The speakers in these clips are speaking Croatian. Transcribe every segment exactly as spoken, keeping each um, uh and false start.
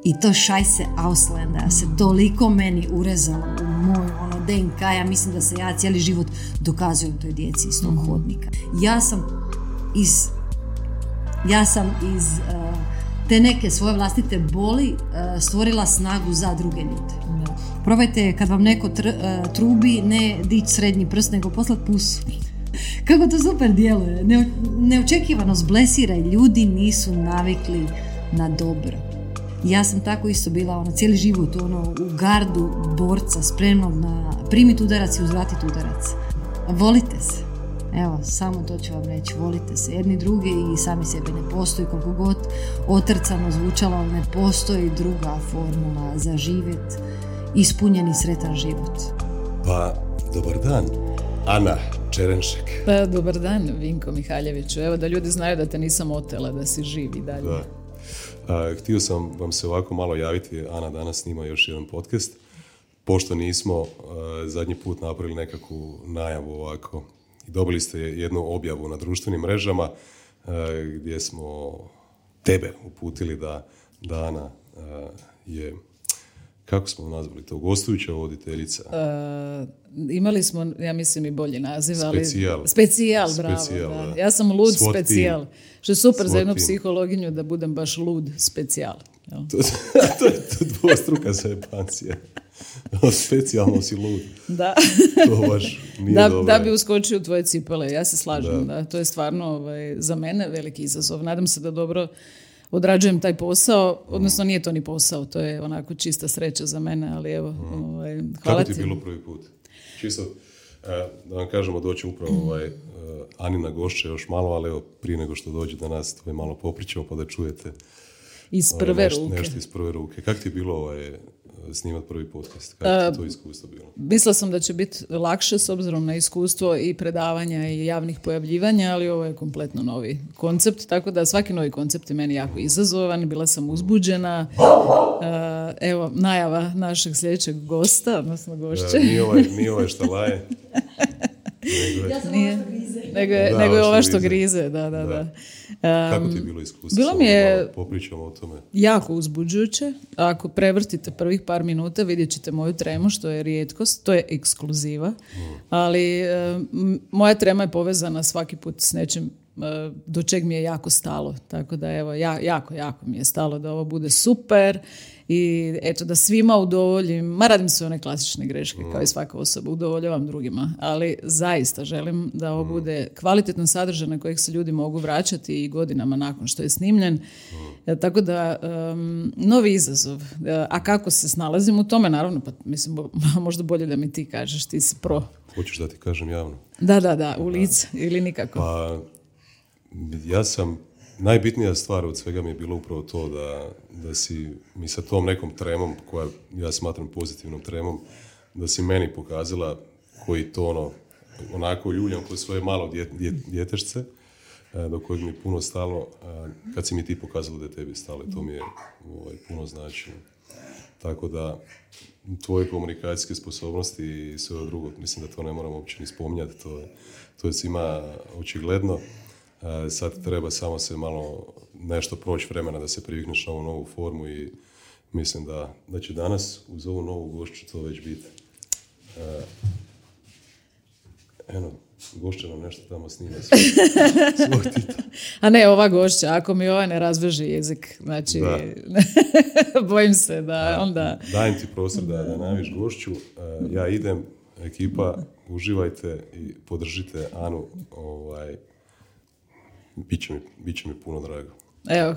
I to Scheiße Auslanda se toliko meni urezalo u moj ono, D N K, ja mislim da se ja cijeli život dokazujem toj djeci iz tog hodnika. Ja sam iz, ja sam iz uh, te neke svoje vlastite boli uh, stvorila snagu za druge ljude. Da. Probajte kad vam neko tr, uh, trubi, ne dići srednji prst, nego poslat pusu. Kako to super djeluje. Ne, neočekivano zblesira i ljudi nisu navikli na dobro. Ja sam tako isto bila ono, cijeli život ono, u gardu borca, spremnog na primiti udarac i uzvratiti udarac. Volite se. Evo, samo to ću vam reći. Volite se jedni drugi i sami sebe. Ne postoji, koliko god otrcano zvučalo, ali ne postoji druga formula za živjet, ispunjen i sretan život. Pa, dobar dan, Ana Čerenšek. Pa, dobar dan, Vinko Mihaljeviću. Evo, da ljudi znaju da te nisam otela, da si živi dalje. Da. A, htio sam vam se ovako malo javiti, Ana danas snima još jedan podcast, pošto nismo a, zadnji put napravili nekakvu najavu ovako. Dobili ste jednu objavu na društvenim mrežama a, gdje smo tebe uputili da, da Ana a, je, kako smo nazvali to, gostujuća voditeljica. Uh, imali smo, ja mislim, i bolji naziv, ali... Specijal. Specijal, bravo. Specijal, da. da. Ja sam lud Swat specijal. team. Što je super Swat za jednu team. psihologinju da budem baš lud specijal. to, to je to dvostruka zajebancija. Specijalno si lud. Da. To baš nije da, dobro. da bi uskočio u tvoje cipele, ja se slažem. Da. Da. To je stvarno ovaj, za mene veliki izazov. Nadam se da dobro odrađujem taj posao, odnosno nije to ni posao, to je onako čista sreća za mene, ali evo, mm. ovaj, hvala Kako ti ti. je bilo prvi put? Čisto, da vam kažemo, doći upravo ovaj, Anina gošća još malo, ali evo, prije nego što dođe do nas, to je malo popričamo pa da čujete iz prve ovaj, nešto, ruke. nešto iz prve ruke. Kako ti je bilo ovaj, snimati prvi podcast? Kako ti to iskustvo bilo? Mislila sam da će biti lakše s obzirom na iskustvo i predavanja i javnih pojavljivanja, ali ovo je kompletno novi koncept, tako da svaki novi koncept je meni jako izazovan, bila sam uzbuđena. Evo, najava našeg sljedećeg gosta, odnosno gošće. Da, nije ovaj, nije ovaj šta laje. Nego je, Ja sam Nije. ovo što grize. Nego je, Da, nego je ovo ova što što grize. grize, da, da, da. Da. Um, Kako ti je bilo iskustvo? bilo mi je- Samo malo popričamo o tome. jako uzbuđujuće. Ako prevrtite prvih par minuta vidjet ćete moju tremu, što je rijetkost, to je ekskluziva, ali e, m, moja trema je povezana svaki put s nečim e, do čeg mi je jako stalo. Tako da evo, ja, jako, jako mi je stalo da ovo bude super i eto da svima udovoljim, ma radim sve one klasične greške kao i svaka osoba, udovoljavam drugima, ali zaista želim da ovo bude kvalitetan sadržaj na kojeg se ljudi mogu vraćati i godinama nakon što je snimljen. E, tako da, um, novi izazov. E, a kako se snalazim u tome, naravno, pa mislim, bo, možda bolje da mi ti kažeš, ti si pro. Hoćeš da ti kažem javno? Da, da, da, u lice ili nikako. Pa, ja sam, najbitnija stvar od svega mi je bilo upravo to da, da si mi sa tom nekom tremom, koja ja smatram pozitivnom tremom, da si meni pokazala koji to ono, onako ljuljam koje svoje malo dje, dje, djetešce, do kojeg mi je puno stalo, kad si mi ti pokazala da je tebi stalo, to mi je ovaj, puno značilo. Tako da, tvoje komunikacijske sposobnosti i sve ovo drugo, mislim da to ne moramo uopće ni spominjati, to je, to je svima očigledno. Sad treba samo se malo nešto proći vremena da se privikneš na ovu novu formu i mislim da, da će danas uz ovu novu gošću to već biti. Eno, gošća nam nešto tamo snima svoj, svoj titul. A ne, ova gošća, ako mi ova ne razveže jezik, znači, bojim se da onda... Dajem ti prostor da, da naviš gošću, ja idem, ekipa, uživajte i podržite Anu, ovaj, bit će mi, bit će mi puno drago. Evo,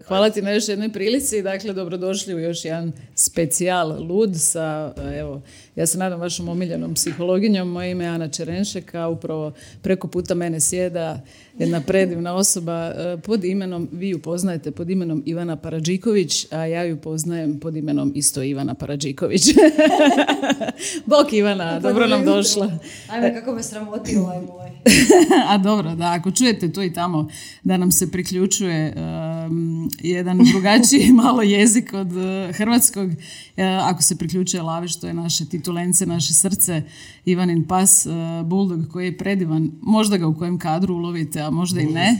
hvala ti na još jednoj prilici. Dakle, dobrodošli u još jedan specijal lud sa, evo, ja se nadam vašom omiljenom psihologinjom. Moje ime je Ana Čerenšek, a upravo preko puta mene sjeda jedna predivna osoba pod imenom, vi ju poznajete pod imenom Ivana Paradžiković, a ja ju poznajem pod imenom isto Ivana Paradžiković. Bok Ivana, dobro nam došla. Ajme, kako me sramoti ovaj moj. A dobro, da, ako čujete tu i tamo da nam se priključuje um, jedan drugačiji malo jezik od uh, hrvatskog. E, ako se priključuje Lavi, što je naše titulence, naše srce, Ivanin pas, uh, Bulldog koji je predivan. Možda ga u kojem kadru ulovite, a možda i ne.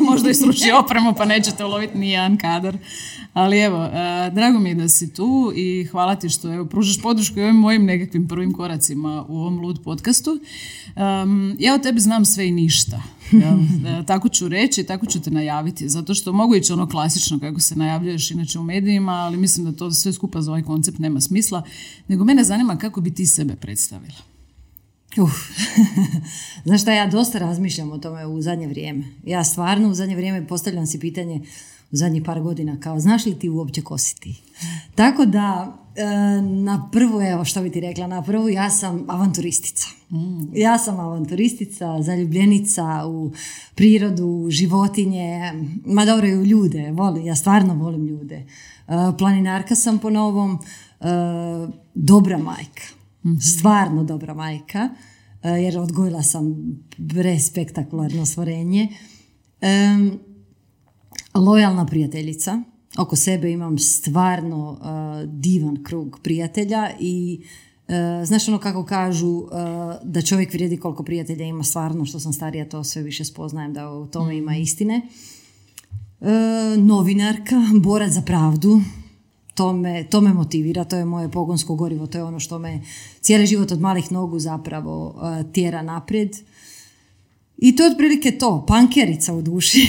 Možda i sruši opremu pa nećete uloviti ni jedan kadar. Ali evo, uh, drago mi je da si tu i hvala ti što evo, pružaš podršku i ovim mojim nekakvim prvim koracima u ovom Lud podcastu. Um, ja o tebi znam sve i ništa. Ja, tako ću reći, tako ću te najaviti, zato što mogu ići ono klasično kako se najavljuješ inače u medijima, ali mislim da to sve skupa za ovaj koncept nema smisla, nego mene zanima kako bi ti sebe predstavila. Uf. Znaš šta, ja dosta razmišljam o tome u zadnje vrijeme. Ja stvarno u zadnje vrijeme postavljam si pitanje u zadnjih par godina kao znaš li ti uopće ko si ti? Tako da na prvu, evo što bi ti rekla, na prvu ja sam avanturistica. Mm. Ja sam avanturistica, zaljubljenica u prirodu, životinje, ma dobro i u ljude, volim, ja stvarno volim ljude. Planinarka sam po novom, dobra majka, mm-hmm. stvarno dobra majka, jer odgojila sam prespektakularno stvorenje. Lojalna prijateljica. Oko sebe imam stvarno uh, divan krug prijatelja i uh, znaš ono kako kažu uh, da čovjek vrijedi koliko prijatelja ima, stvarno što sam starija to sve više spoznajem da u tome ima istine. Uh, novinarka, borac za pravdu, to me, to me motivira, to je moje pogonsko gorivo, to je ono što me cijeli život od malih nogu zapravo uh, tjera naprijed. I to je otprilike to, pankerica u duši.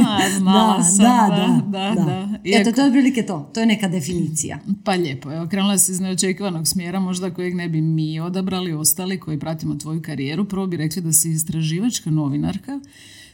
A, znala da, sam, da, da, da, da, da. Eto, to je otprilike to, to je neka definicija. Pa lijepo, evo, krenula si iz neočekivanog smjera, možda kojeg ne bi mi odabrali, ostali koji pratimo tvoju karijeru. Prvo bi rekli da si istraživačka novinarka.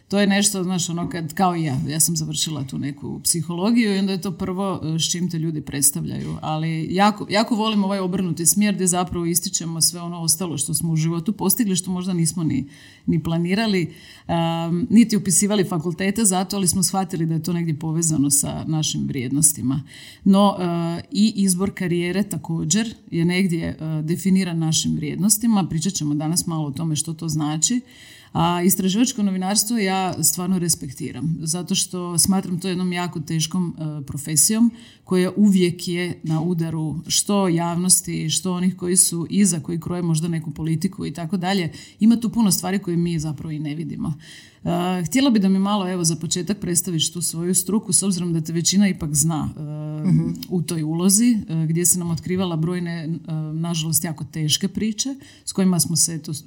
To je nešto, znaš, ono kad, kao i ja, ja sam završila tu neku psihologiju i onda je to prvo s čim te ljudi predstavljaju. Ali jako, jako volim ovaj obrnuti smjer gdje zapravo ističemo sve ono ostalo što smo u životu postigli, što možda nismo ni, ni planirali, um, niti upisivali fakultete zato, ali smo shvatili da je to negdje povezano sa našim vrijednostima. No, uh, i izbor karijere također je negdje uh, definiran našim vrijednostima. Pričat ćemo danas malo o tome što to znači. A istraživačko novinarstvo ja stvarno respektiram, zato što smatram to jednom jako teškom uh, profesijom koja uvijek je na udaru što javnosti, što onih koji su iza, koji kroje možda neku politiku i tako dalje. Ima tu puno stvari koje mi zapravo i ne vidimo. Uh, htjela bi da mi malo evo za početak predstaviš tu svoju struku, s obzirom da te većina ipak zna uh, uh-huh. u toj ulozi, uh, gdje se nam otkrivala brojne, uh, nažalost, jako teške priče s kojima smo se eto, uh,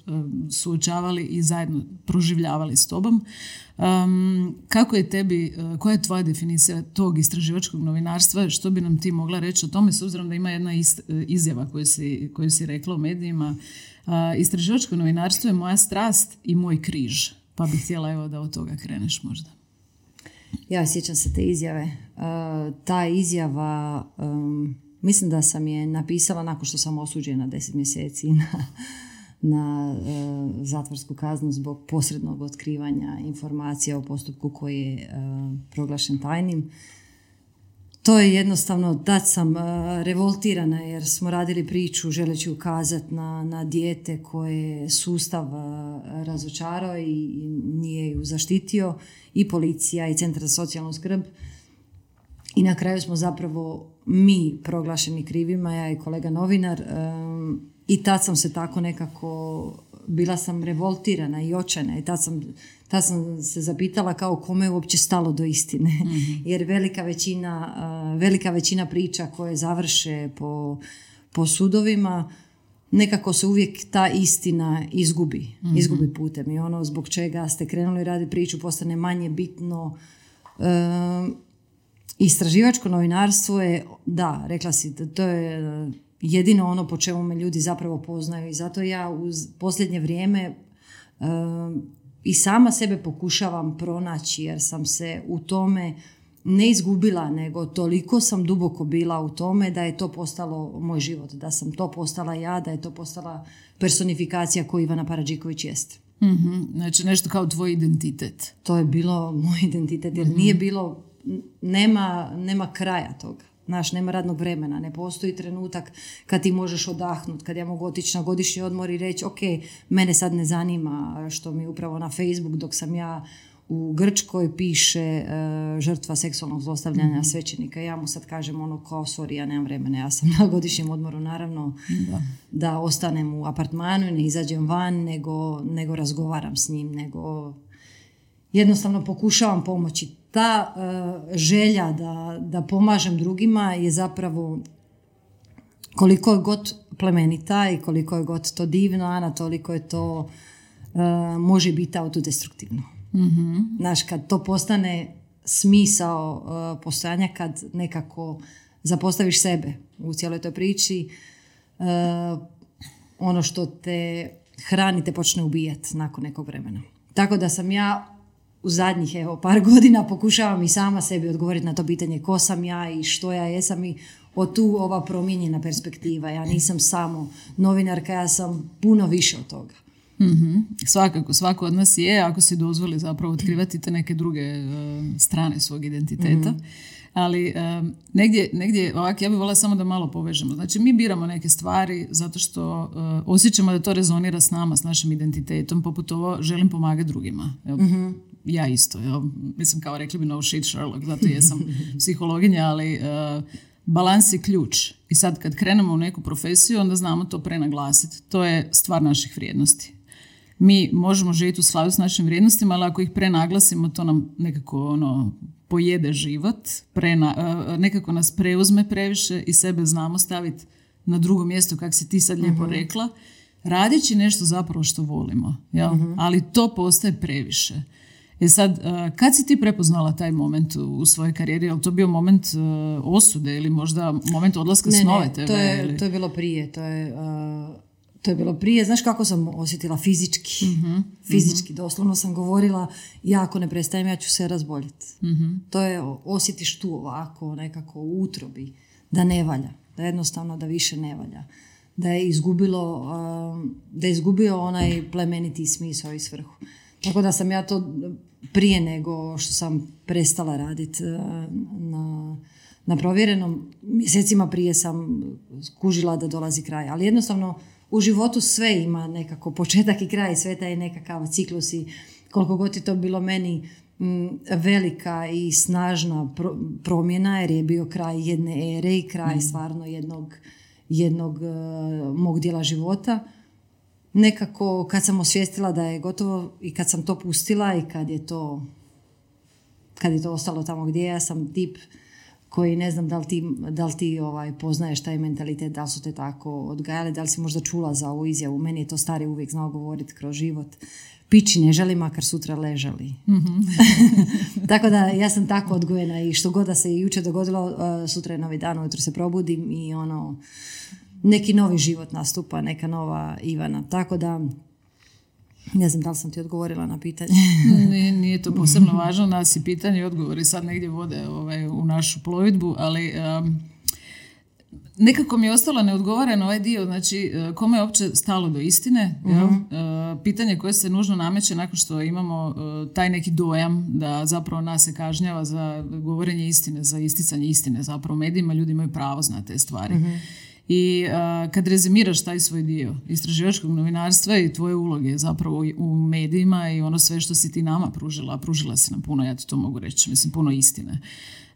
suočavali i zajedno proživljavali s tobom. Um, kako je tebi, uh, koja je tvoja definicija tog istraživačkog novinarstva, što bi nam ti mogla reći o tome, s obzirom da ima jedna ist, uh, izjava koju si, koju si rekla u medijima. Uh, istraživačko novinarstvo je moja strast i moj križ. Pa bih htjela evo da od toga kreneš možda. Ja sjećam se te izjave. Uh, ta izjava, um, mislim da sam je napisala nakon što sam osuđena deset mjeseci na, na uh, zatvorsku kaznu zbog posrednog otkrivanja informacija o postupku koji je uh, proglašen tajnim. To je jednostavno, da sam uh, revoltirana jer smo radili priču želeći ukazati na, na dijete koje sustav uh, razočarao i, i nije ju zaštitio, i policija i centar za socijalnu skrb. I na kraju smo zapravo mi proglašeni krivima, ja i kolega novinar, um, i tad sam se tako nekako, bila sam revoltirana i očajna i tad sam, tad sam se zapitala kao kome je uopće stalo do istine. Mm-hmm. Jer velika većina, uh, velika većina priča koje završe po, po sudovima, nekako se uvijek ta istina izgubi, mm-hmm. izgubi putem. I ono zbog čega ste krenuli raditi priču postane manje bitno. Uh, istraživačko novinarstvo je, da, rekla si, to je jedino ono po čemu me ljudi zapravo poznaju i zato ja u posljednje vrijeme uh, i sama sebe pokušavam pronaći jer sam se u tome ne izgubila, nego toliko sam duboko bila u tome da je to postalo moj život, da sam to postala ja, da je to postala personifikacija koju Ivana Paradžiković jest. Mm-hmm. Znači nešto kao tvoj identitet. To je bilo moj identitet jer mm-hmm. nije bilo, nema, nema kraja toga. Znaš, nema radnog vremena, ne postoji trenutak kad ti možeš odahnuti, kad ja mogu otići na godišnji odmor i reći ok, mene sad ne zanima što mi upravo na Facebook dok sam ja u Grčkoj piše uh, žrtva seksualnog zlostavljanja mm-hmm. svećenika. Ja mu sad kažem ono kao, sorry, ja nemam vremena, ja sam na godišnjem odmoru, naravno, da, da ostanem u apartmanu i ne izađem van, nego, nego razgovaram s njim, nego jednostavno pokušavam pomoći. Ta uh, želja da, da pomažem drugima je zapravo, koliko je god plemenita i koliko je god to divno, Ana, toliko je to uh, može biti autodestruktivno. Mm-hmm. Znaš, kad to postane smisao uh, postojanja, kad nekako zapostaviš sebe u cijeloj toj priči, uh, ono što te hrani te počne ubijati nakon nekog vremena. Tako da sam ja u zadnjih evo, par godina pokušavam i sama sebi odgovoriti na to pitanje ko sam ja i što ja jesam i od tu ova promijenjena perspektiva. Ja nisam samo novinarka, ja sam puno više od toga. Mm-hmm. Svakako, svako od nas je, ako si dozvoli zapravo otkrivati te neke druge uh, strane svog identiteta. Mm-hmm. Ali um, negdje, negdje ovak, ja bih voljela samo da malo povežemo. Znači, mi biramo neke stvari zato što uh, osjećamo da to rezonira s nama, s našim identitetom, poput ovo, želim pomagati drugima. Evo, mm-hmm. Ja isto. Evo, mislim, kao rekli bi no shit Sherlock, zato jesam psihologinja, ali uh, balans je ključ. I sad kad krenemo u neku profesiju, onda znamo to prenaglasiti. To je stvar naših vrijednosti. Mi možemo živjeti u skladu s našim vrijednostima, ali ako ih prenaglasimo, to nam nekako ono, pojede život, prena, uh, nekako nas preuzme previše i sebe znamo staviti na drugo mjesto, kako si ti sad lijepo uh-huh. rekla, radeći nešto zapravo što volimo. Jel? Uh-huh. Ali to postaje previše. E sad, uh, kad si ti prepoznala taj moment u, u svojoj karijeri? Je li to bio moment uh, osude ili možda moment odlaska ne, s Nove ne, te ve? To je, ili? to je bilo prije. To je, uh, to je bilo prije. Znaš kako sam osjetila fizički? Mm-hmm. Fizički, mm-hmm. doslovno sam govorila, ja ako ne prestajem, ja ću se razboljeti. Mm-hmm. To je, osjetiš tu ovako, nekako u utrobi, da ne valja. Da jednostavno da više ne valja. Da je izgubilo, uh, da je izgubio onaj plemeniti smisao i svrhu. Tako da sam ja to prije nego što sam prestala raditi na, na provjerenom, mjesecima prije sam skužila da dolazi kraj. Ali jednostavno u životu sve ima nekako početak i kraj, sve taj nekakav ciklus i koliko god je to bilo meni m, velika i snažna pro, promjena, jer je bio kraj jedne ere i kraj mm. stvarno jednog, jednog uh, mog dijela života. Nekako kad sam osvijestila da je gotovo i kad sam to pustila i kad je to, kad je to ostalo tamo gdje ja sam tip koji ne znam da li ti, da li ti ovaj, poznaješ taj mentalitet, da li su te tako odgajali, da li si možda čula za ovu izjavu. Meni je to stari uvijek znao govoriti kroz život. Pići ne želi, makar sutra ležali. Mm-hmm. Tako da ja sam tako odgojena i što god da se jučer dogodilo, uh, sutra je novi dan, ujutro se probudim i ono... neki novi život nastupa, neka nova Ivana. Tako da, ne znam da li sam ti odgovorila na pitanje. nije, nije to posebno važno, nas i pitanje i odgovori sad negdje vode ovaj, u našu plovidbu, ali um, nekako mi je ostalo neodgovoren ovaj dio, znači kome je uopće stalo do istine, uh-huh. jel? Uh, pitanje koje se nužno nameće nakon što imamo uh, taj neki dojam da zapravo nas se kažnjava za govorenje istine, za isticanje istine, zapravo medijima ljudi imaju pravo znati te stvari. Uh-huh. I uh, kad rezimiraš taj svoj dio istraživačkog novinarstva i tvoje uloge zapravo u medijima i ono sve što si ti nama pružila, a pružila si nam puno, ja ti to mogu reći, mislim puno istine.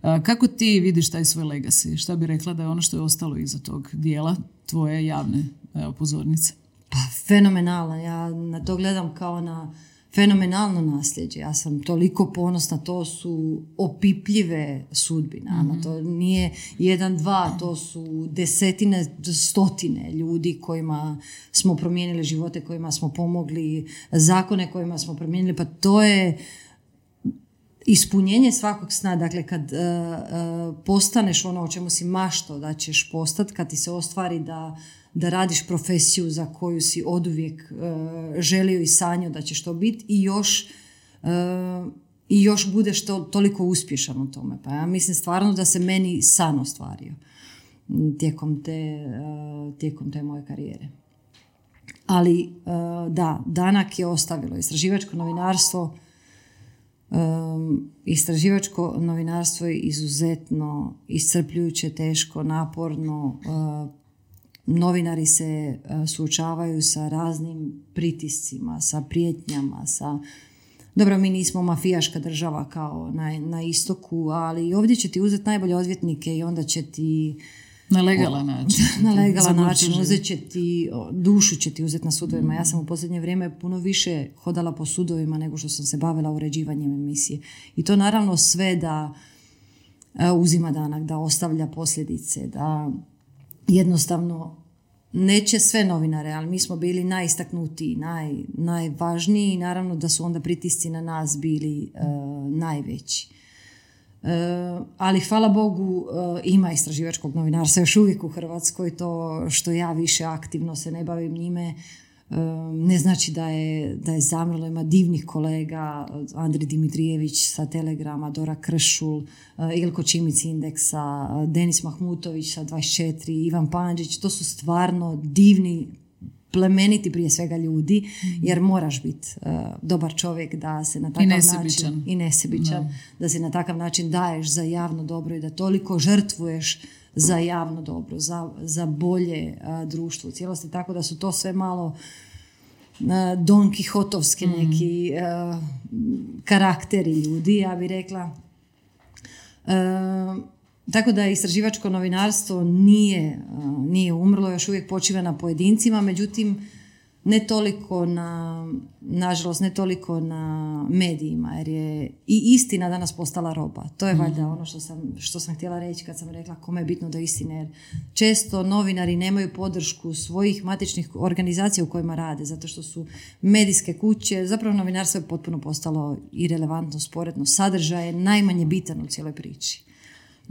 Uh, kako ti vidiš taj svoj legacy? Šta bi rekla da je ono što je ostalo iza tog dijela tvoje javne evo, pozornice? Pa fenomenalno, ja na to gledam kao na fenomenalno nasljeđe. Ja sam toliko ponosna, to su opipljive sudbine. Mm-hmm. To nije jedan, dva, to su desetine, stotine ljudi kojima smo promijenili živote, kojima smo pomogli, zakone kojima smo promijenili. Pa to je ispunjenje svakog sna. Dakle, kad uh, uh, postaneš ono o čemu si maštao da ćeš postati, kad ti se ostvari da da radiš profesiju za koju si oduvijek uh, želio i sanjao da ćeš to biti i još, uh, i još budeš to, toliko uspješan u tome. Pa ja mislim stvarno da se meni san ostvario tijekom te, uh, tijekom te moje karijere. Ali uh, da, Danak je ostavilo istraživačko novinarstvo. Um, istraživačko novinarstvo je izuzetno iscrpljujuće, teško, naporno. Uh, Novinari se uh, suočavaju sa raznim pritiscima, sa prijetnjama, sa dobro, mi nismo mafijaška država kao na, na istoku, ali ovdje će ti uzeti najbolje odvjetnike i onda će ti na legalan način. Na legalan način uzet će ti, dušu će ti uzeti na sudovima. Ja sam u posljednje vrijeme puno više hodala po sudovima nego što sam se bavila uređivanjem emisije. I to naravno sve da uzima danak, da ostavlja posljedice, da jednostavno neće sve novinare, ali mi smo bili najistaknutiji, naj, najvažniji i naravno da su onda pritisci na nas bili uh, najveći. Uh, ali hvala Bogu uh, ima istraživačkog novinarstva još uvijek u Hrvatskoj, to što ja više aktivno se ne bavim njime uh, ne znači da je, da je zamrlo. Ima divnih kolega, Andri Dimitrijević sa Telegrama, Dora Kršul, uh, Ilko Čimić Indeksa, uh, Denis Mahmutović sa dvadeset četiri, Ivan Pandžić, to su stvarno divni, plemeniti prije svega ljudi, mm-hmm. jer moraš biti uh, dobar čovjek da se na takav način i nesebičan, no. da se na takav način daješ za javno dobro i da toliko žrtvuješ za javno dobro, za, za bolje uh, društvo u cijelosti, tako da su to sve malo uh, Don Kihotovski mm. neki uh, karakteri ljudi, ja bih rekla. Uh, Tako da istraživačko novinarstvo nije, nije umrlo, još uvijek počiva na pojedincima, međutim ne toliko na, nažalost ne toliko na medijima, jer je i istina danas postala roba. To je mm. valjda ono što sam, što sam htjela reći kad sam rekla kome je bitno do istine, jer često novinari nemaju podršku svojih matičnih organizacija u kojima rade, zato što su medijske kuće, zapravo novinarstvo je potpuno postalo irelevantno, sporedno, sadržaj je najmanje bitan u cijeloj priči.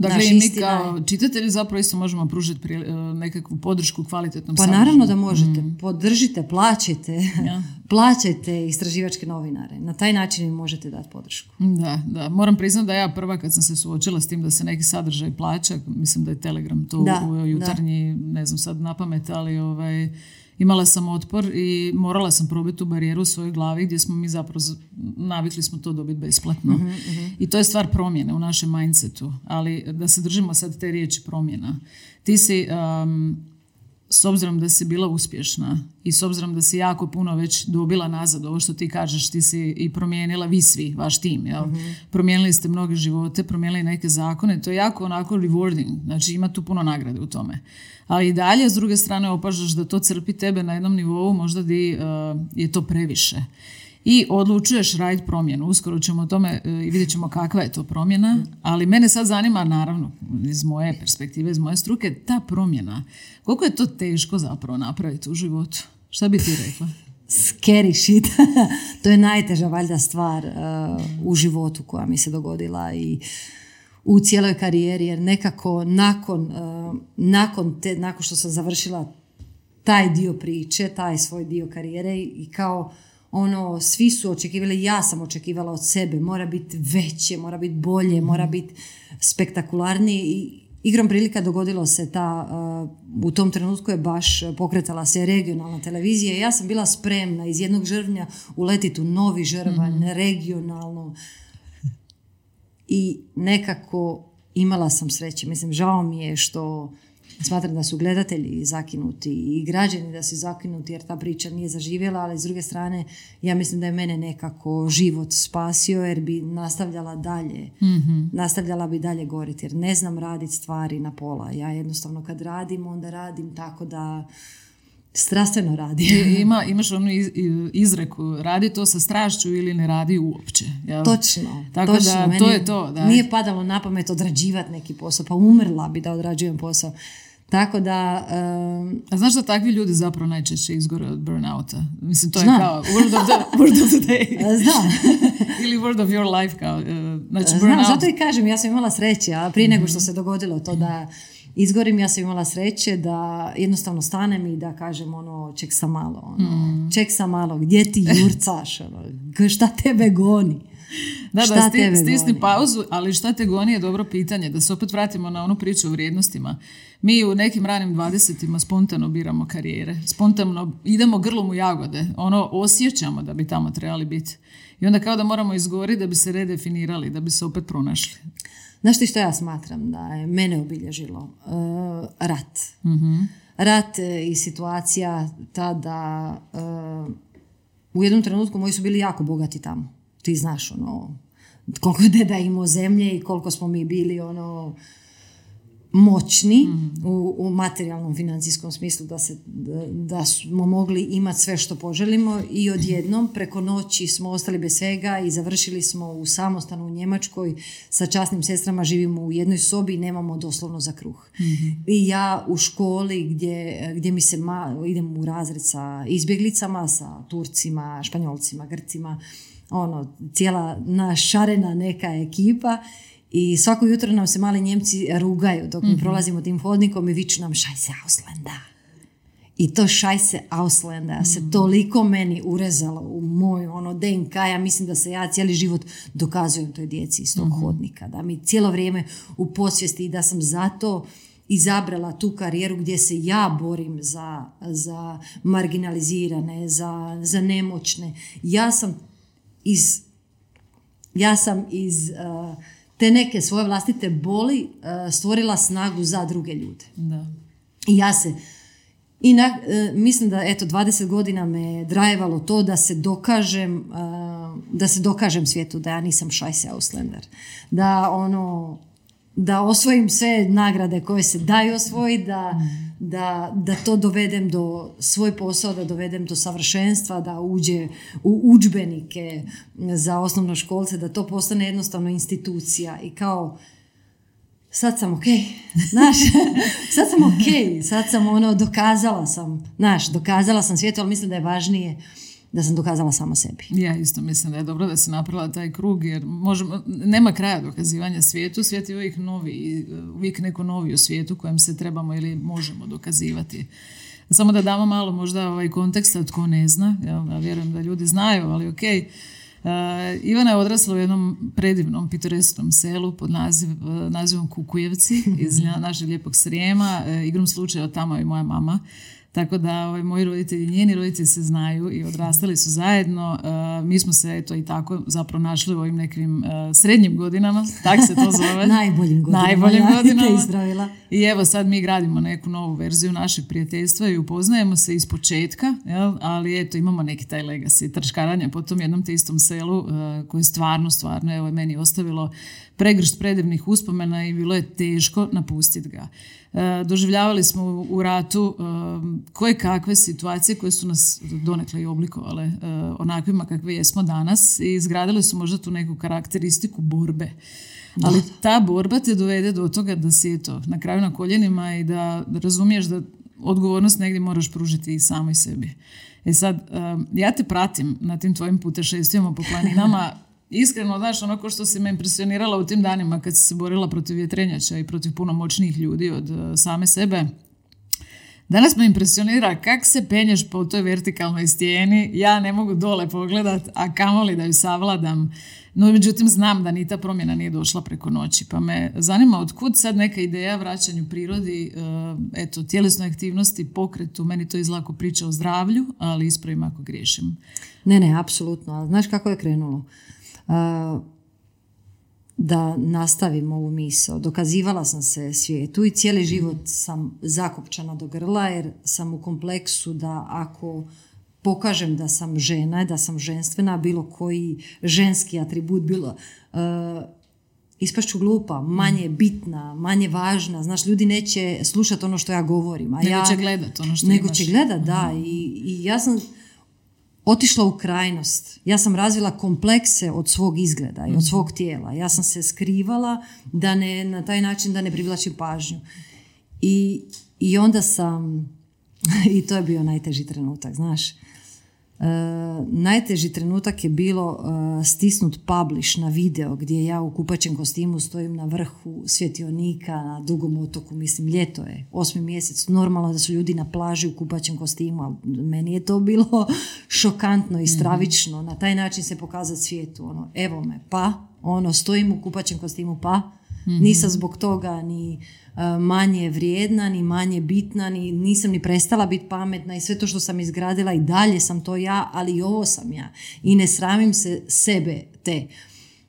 Dakle, i mi kao čitatelji zapravo isto možemo pružiti pri, nekakvu podršku kvalitetnom pa sadržaju. Pa naravno da možete. Mm. Podržite, plaćajte, ja. plaćajte istraživačke novinare. Na taj način im možete dati podršku. Da, da. Moram priznati da ja prva kad sam se suočila s tim da se neki sadržaj plaća, mislim da je Telegram to da, u jutarnji, da. ne znam sad na pamet, ali ovaj... imala sam otpor i morala sam probiti tu barijeru u svojoj glavi gdje smo mi zapravo navikli smo to dobiti besplatno. Uh-huh, uh-huh. I to je stvar promjene u našem mindsetu. Ali da se držimo sad te riječi promjena. Ti si, um, s obzirom da si bila uspješna i s obzirom da si jako puno već dobila nazad, ovo što ti kažeš, ti si i promijenila, vi svi, vaš tim, jel? Uh-huh. Promijenili ste mnoge živote, promijenili neke zakone, to je jako onako rewarding, znači ima tu puno nagrade u tome. Ali i dalje, s druge strane, opažaš da to crpi tebe na jednom nivou, možda di uh, je to previše. I odlučuješ raditi promjenu. Uskoro ćemo o tome uh, i vidjet ćemo kakva je to promjena, ali mene sad zanima, naravno, iz moje perspektive, iz moje struke, ta promjena. Koliko je to teško zapravo napraviti u životu? Šta bi ti rekla? Scary shit. To je najteža valjda stvar uh, u životu koja mi se dogodila i u cijeloj karijeri, jer nekako nakon, uh, nakon, te, nakon što sam završila taj dio priče, taj svoj dio karijere i kao ono, svi su očekivali, ja sam očekivala od sebe, mora biti veće, mora biti bolje, mora biti spektakularnije i igrom prilika dogodilo se ta, uh, u tom trenutku je baš pokretala se regionalna televizija i ja sam bila spremna iz jednog žrvnja uletiti u novi žrvanj, mm-hmm. regionalno. I nekako imala sam sreće. Mislim, žao mi je što smatram da su gledatelji zakinuti i građani da su zakinuti jer ta priča nije zaživjela, ali s druge strane ja mislim da je mene nekako život spasio jer bi nastavljala dalje. Mm-hmm. Nastavljala bi dalje goriti jer ne znam raditi stvari na pola. Ja jednostavno kad radim, onda radim tako da strastveno radi. Ima, imaš onu iz, izreku, radi to sa strašću ili ne radi uopće. Jel? Točno. Tako točno. da, Meni to je to. Da. Nije padalo na pamet odrađivati neki posao, pa umrla bi da odrađujem posao. Tako da... Um, A znaš da takvi ljudi zapravo najčešće izgore od burnouta? Mislim, to je znam. Kao word of the, word of the day. Znam. Ili word of your life. Kao, uh, znači Znam, burnout. zato i kažem, ja sam imala sreće, a prije nego što se dogodilo to da izgorim, ja sam imala sreće da jednostavno stanem i da kažem ono, ček sam malo, ono, mm. ček sam malo, gdje ti jurcaš, ono, šta tebe goni? Da, šta da, sti, stisni pauzu, ali šta te goni je dobro pitanje, da se opet vratimo na onu priču o vrijednostima. Mi u nekim ranim dvadesetima spontano biramo karijere, spontano idemo grlom u jagode, ono osjećamo da bi tamo trebali biti. I onda kao da moramo izgoriti da bi se redefinirali, da bi se opet pronašli. Znaš ti što ja smatram da je mene obilježilo? Uh, rat. Mm-hmm. Rat i situacija ta da uh, u jednom trenutku moji su bili jako bogati tamo. ti znaš, ono, koliko je deda imao zemlje i koliko smo mi bili, ono, moćni mm. u, u materijalnom financijskom smislu da, se, da, da smo mogli imati sve što poželimo i odjednom preko noći smo ostali bez svega i završili smo u samostanu u Njemačkoj sa časnim sestrama, živimo u jednoj sobi i nemamo doslovno za kruh. Mm-hmm. I ja u školi gdje, gdje mi se ma, idem u razred sa izbjeglicama, sa Turcima, Španjolcima, Grcima, ono, cijela našarena neka ekipa. I svako jutro nam se mali Njemci rugaju dok mi mm-hmm. prolazimo tim hodnikom i viču nam Scheiße Ausländer. I to Scheiße Ausländer mm-hmm. se toliko meni urezalo u moj ono D N K. Ja mislim da se ja cijeli život dokazujem toj djeci iz tog mm-hmm. hodnika. Da mi cijelo vrijeme u podsvijesti i da sam zato izabrala tu karijeru gdje se ja borim za, za marginalizirane, za, za nemoćne. Ja sam iz ja sam iz uh, te neke svoje vlastite boli uh, stvorila snagu za druge ljude. Da. I ja se i na, uh, mislim da eto dvadeset godina me drajevalo to da se dokažem uh, da se dokažem svijetu da ja nisam Scheiße Ausländer. Da ono da osvojim sve nagrade koje se daju osvojiti, da, mm. da, da to dovedem do svoj posao, da dovedem do savršenstva, da uđe u udžbenike za osnovnoškolce, da to postane jednostavno institucija i kao sad sam ok, znaš, sad sam ok, sad sam ono, dokazala sam, znaš, dokazala sam svijetu, ali mislim da je važnije da sam dokazala sama sebi. Ja isto mislim da je dobro da si napravila taj krug, jer možemo, nema kraja dokazivanja svijetu, svijet je uvijek novi, uvijek neko novi u svijetu kojem se trebamo ili možemo dokazivati. Samo da damo malo možda ovaj konteksta tko ne zna, ja vjerujem da ljudi znaju, ali ok. Uh, Ivana je odrasla u jednom predivnom pitoresknom selu pod naziv, uh, nazivom Kukujevci iz našeg lijepog Srijema. Uh, igrom slučaja tamo je i moja mama. Tako da ovaj, moji roditelji, njeni roditelji se znaju i odrastali su zajedno. Uh, mi smo se eto i tako zapravo našli u ovim nekim uh, srednjim godinama, tak se to zove. Najboljim godinama. Najboljim ja godinama. I evo sad mi gradimo neku novu verziju našeg prijateljstva i upoznajemo se iz početka, jel? Ali eto imamo neki taj legacy trčkaranja po tom jednom te istom selu uh, koje stvarno, stvarno evo meni ostavilo pregršt predivnih uspomena i bilo je teško napustiti ga. E, doživljavali smo u, u ratu e, koje kakve situacije koje su nas donekle i oblikovale e, onakvima kakve jesmo danas i izgradile su možda tu neku karakteristiku borbe. Da. Ali ta borba te dovede do toga da si eto, na kraju na koljenima i da, da razumiješ da odgovornost negdje moraš pružiti i samoj sebi. E sad, e, ja te pratim na tim tvojim putešestvima po planinama. Iskreno, znaš, ono ko što si me impresionirala u tim danima kad si se borila protiv vjetrenjača i protiv puno moćnijih ljudi od uh, same sebe. Danas me impresionira kak se penješ po toj vertikalnoj stijeni. Ja ne mogu dole pogledat, a kamoli da ju savladam. No, međutim, znam da ni ta promjena nije došla preko noći. Pa me zanima otkud sad neka ideja vraćanju prirodi, uh, eto, tjelesnoj aktivnosti, pokretu. Meni to izlako priča o zdravlju, ali ispravim ako griješim. Ne, ne, apsolutno. Znaš kako je krenulo? Uh, da nastavim ovu misao. Dokazivala sam se svijetu i cijeli život sam zakopčana do grla jer sam u kompleksu da ako pokažem da sam žena, da sam ženstvena, bilo koji ženski atribut, bilo uh, ispašću glupa, manje bitna, manje važna. Znaš, ljudi neće slušati ono što ja govorim. A nego ja, će gledat ono što nego imaš. će gledat, da. I, i ja sam otišla u krajnost. Ja sam razvila komplekse od svog izgleda i od svog tijela. Ja sam se skrivala da ne, na taj način da ne privlačim pažnju. I, i onda sam, i to je bio najteži trenutak, znaš. Uh, najteži trenutak je bilo uh, stisnut publish na video gdje ja u kupaćem kostimu stojim na vrhu svjetionika na Dugom otoku, mislim ljeto je, osmi mjesec, normalno da su ljudi na plaži u kupaćem kostimu, ali meni je to bilo šokantno i stravično, na taj način se pokazati svijetu, ono, evo me, pa, ono, stojim u kupaćem kostimu, pa, mm-hmm. nisam zbog toga ni manje vrijedna, ni manje bitna, ni, nisam ni prestala biti pametna i sve to što sam izgradila i dalje sam to ja, ali i ovo sam ja. I ne sramim se sebe te.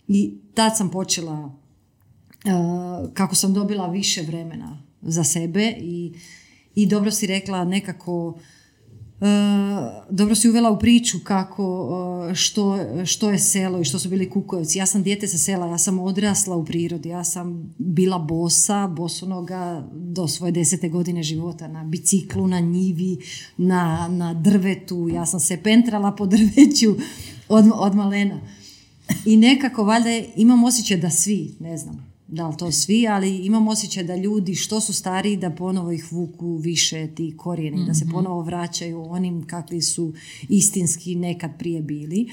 I tad sam počela, uh, kako sam dobila više vremena za sebe i, i dobro si rekla nekako Uh, dobro si uvela u priču kako, uh, što, što je selo i što su bili Kukujevci. Ja sam dijete sa sela, ja sam odrasla u prirodi, ja sam bila bosa, bosonoga do svoje desete godine života, na biciklu, na njivi, na, na drvetu, ja sam se pentrala po drveću od, od malena. I nekako valjda imam osjećaj da svi, ne znam da li to svi, ali imam osjećaj da ljudi što su stariji da ponovo ih vuku više ti korijeni, mm-hmm. da se ponovo vraćaju onim kakvi su istinski nekad prije bili.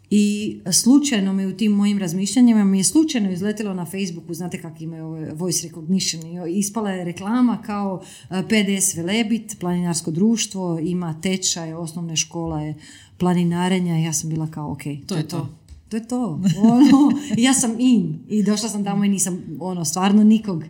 I slučajno mi u tim mojim razmišljanjima mi je slučajno izletilo na Facebooku, znate kako imaju ove voice recognition, ispala je reklama kao P D S Velebit, planinarsko društvo, ima tečaj, osnovne škola je planinarenja i ja sam bila kao ok, to, to je to. to. To je to. Ono, ja sam in i došla sam tamo i nisam ono, stvarno nikog,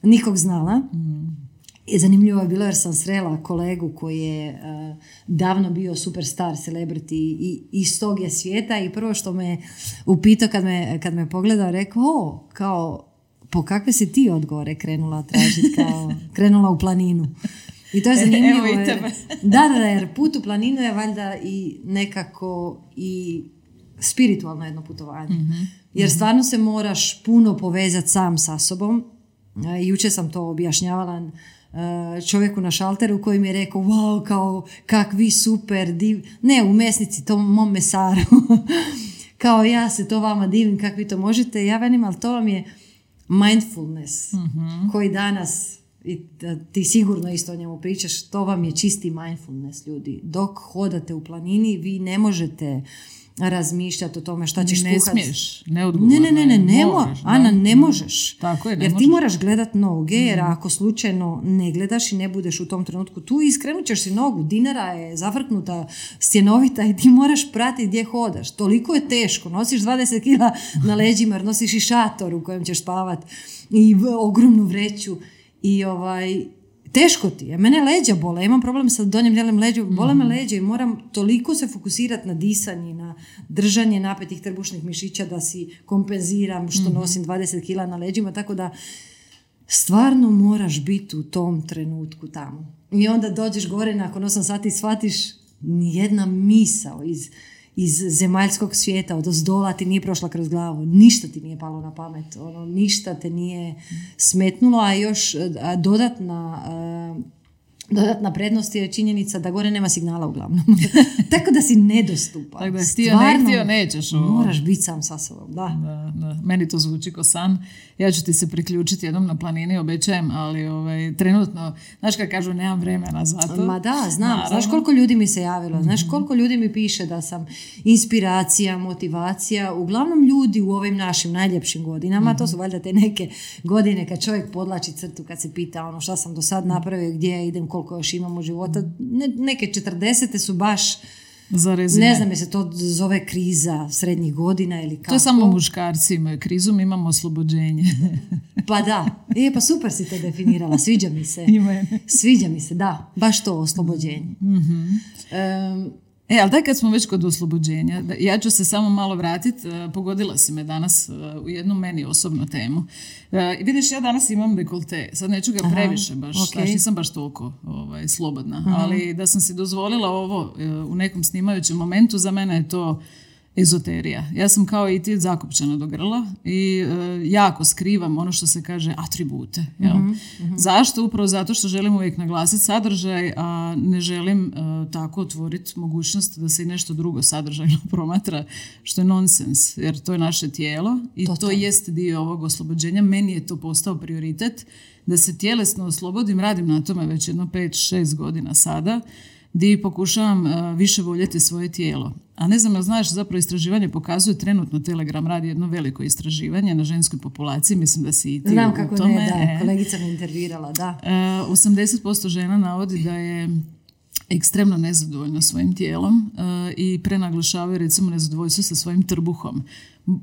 nikog znala. Mm. I zanimljivo je bilo jer sam srela kolegu koji je uh, davno bio superstar, celebrity i iz tog je svijeta i prvo što me upitao kad me, kad me pogledao rekao, o, kao, po kakve si ti od gore krenula tražiti, kao, krenula u planinu. I to je zanimljivo. Evo i jer, da, da, jer put u planinu je valjda i nekako i spiritualno jedno putovanje. Mm-hmm. Jer stvarno se moraš puno povezati sam sa sobom. E, jučer sam to objašnjavala e, čovjeku na šalteru koji mi je rekao, wow, kao kakvi super div... Ne, u mesnici, tom mom mesaru. Kao ja se to vama divim, kako vi to možete. Ja velim, ali to vam je mindfulness mm-hmm. koji danas, i ti sigurno isto o njemu pričaš, to vam je čisti mindfulness, ljudi. Dok hodate u planini, vi ne možete razmišljati o tome šta ćeš ne kuhati. Ne smiješ, neodgovorno. Ne, ne, ne, ne, ne možeš. Ana, ne možeš. Tako je, ne jer možeš. ti moraš gledat noge, jer ako slučajno ne gledaš i ne budeš u tom trenutku tu, iskrenut ćeš si nogu, dinara je zavrknuta, stjenovita i ti moraš pratiti gdje hodaš. Toliko je teško, nosiš dvadeset kila na leđima, jer nosiš i šator u kojem ćeš spavat i ogromnu vreću i ovaj... Teško ti je. Mene leđa bole. Imam problem sa donjim dijelom leđa. Bole me leđa i moram toliko se fokusirati na disanje, na držanje napetih trbušnih mišića da si kompenziram što nosim dvadeset kila na leđima. Tako da stvarno moraš biti u tom trenutku tamo. I onda dođeš gore nakon osam sati i shvatiš nijedna misao iz, iz zemaljskog svijeta od ozdola ti nije prošla kroz glavu. Ništa ti nije palo na pamet. Ono, ništa te nije smetnulo, a još a dodatna, a, dodatna prednost je činjenica da gore nema signala uglavnom. Tako da si nedostupan. Tako da htio ne htio nećeš. Ovo. Moraš biti sam sa sobom. Da. Da, da. Meni to zvuči ko san. Ja ću ti se priključiti jednom na planini, obećajem, ali ovaj, trenutno, znaš kad kažu, nemam vremena za to. Ma da, znam. Naravno. Znaš koliko ljudi mi se javilo, znaš koliko ljudi mi piše da sam inspiracija, motivacija, uglavnom ljudi u ovim našim najljepšim godinama, mm-hmm. to su valjda te neke godine kad čovjek podlači crtu, kad se pita ono šta sam do sad napravio, gdje idem, koliko još imam u života. Ne, neke četrdesete su baš, ne znam je se to zove kriza srednjih godina ili kako. To je samo muškarci imaju krizu, mi imamo oslobođenje. Pa da, e, pa super si to definirala, sviđa mi se. Sviđa mi se, da, baš to oslobođenje. Mm-hmm. Um, E, ali daj kad smo već kod oslobođenja, ja ću se samo malo vratiti, pogodila si me danas u jednu meni osobnu temu. I vidiš, ja danas imam dekolte, sad neću ga previše baš, okay. Znaš, nisam baš toliko ovaj, slobodna, aha. Ali da sam si dozvolila ovo u nekom snimajućem momentu, za mene je to ezoterija. Ja sam kao i ti zakopčana do grla i e, jako skrivam ono što se kaže atribute. Jel? Mm-hmm, mm-hmm. Zašto? Upravo zato što želim uvijek naglasiti sadržaj, a ne želim e, tako otvoriti mogućnost da se i nešto drugo sadržajno promatra, što je nonsens, jer to je naše tijelo i to, to jest dio ovog oslobođenja. Meni je to postao prioritet da se tjelesno oslobodim, radim na tome već jedno pet šest godina sada, gdje pokušavam uh, više voljeti svoje tijelo. A ne znam, znaš, zapravo istraživanje pokazuje, trenutno Telegram radi jedno veliko istraživanje na ženskoj populaciji, mislim da si i ti znam u kako tome. Ne, da, kolegica me intervirala, da. Uh, osamdeset posto žena navodi da je ekstremno nezadovoljno svojim tijelom uh, i prenaglašavaju recimo nezadovoljstvo sa svojim trbuhom.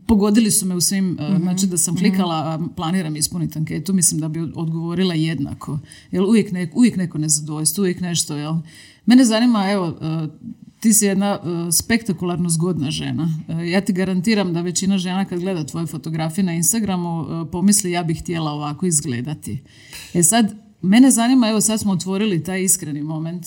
Pogodili su me u svim, mm-hmm. znači da sam klikala, mm-hmm. planiram ispuniti anketu, mislim da bi odgovorila jednako. Jel uvijek, ne, uvijek neko nezadovoljstvo, uvijek nešto, jel? Mene zanima, evo, uh, ti si jedna uh, spektakularno zgodna žena. Uh, ja ti garantiram da većina žena kad gleda tvoje fotografije na Instagramu uh, pomisli ja bih htjela ovako izgledati. E sad, mene zanima, evo sad smo otvorili taj iskreni moment.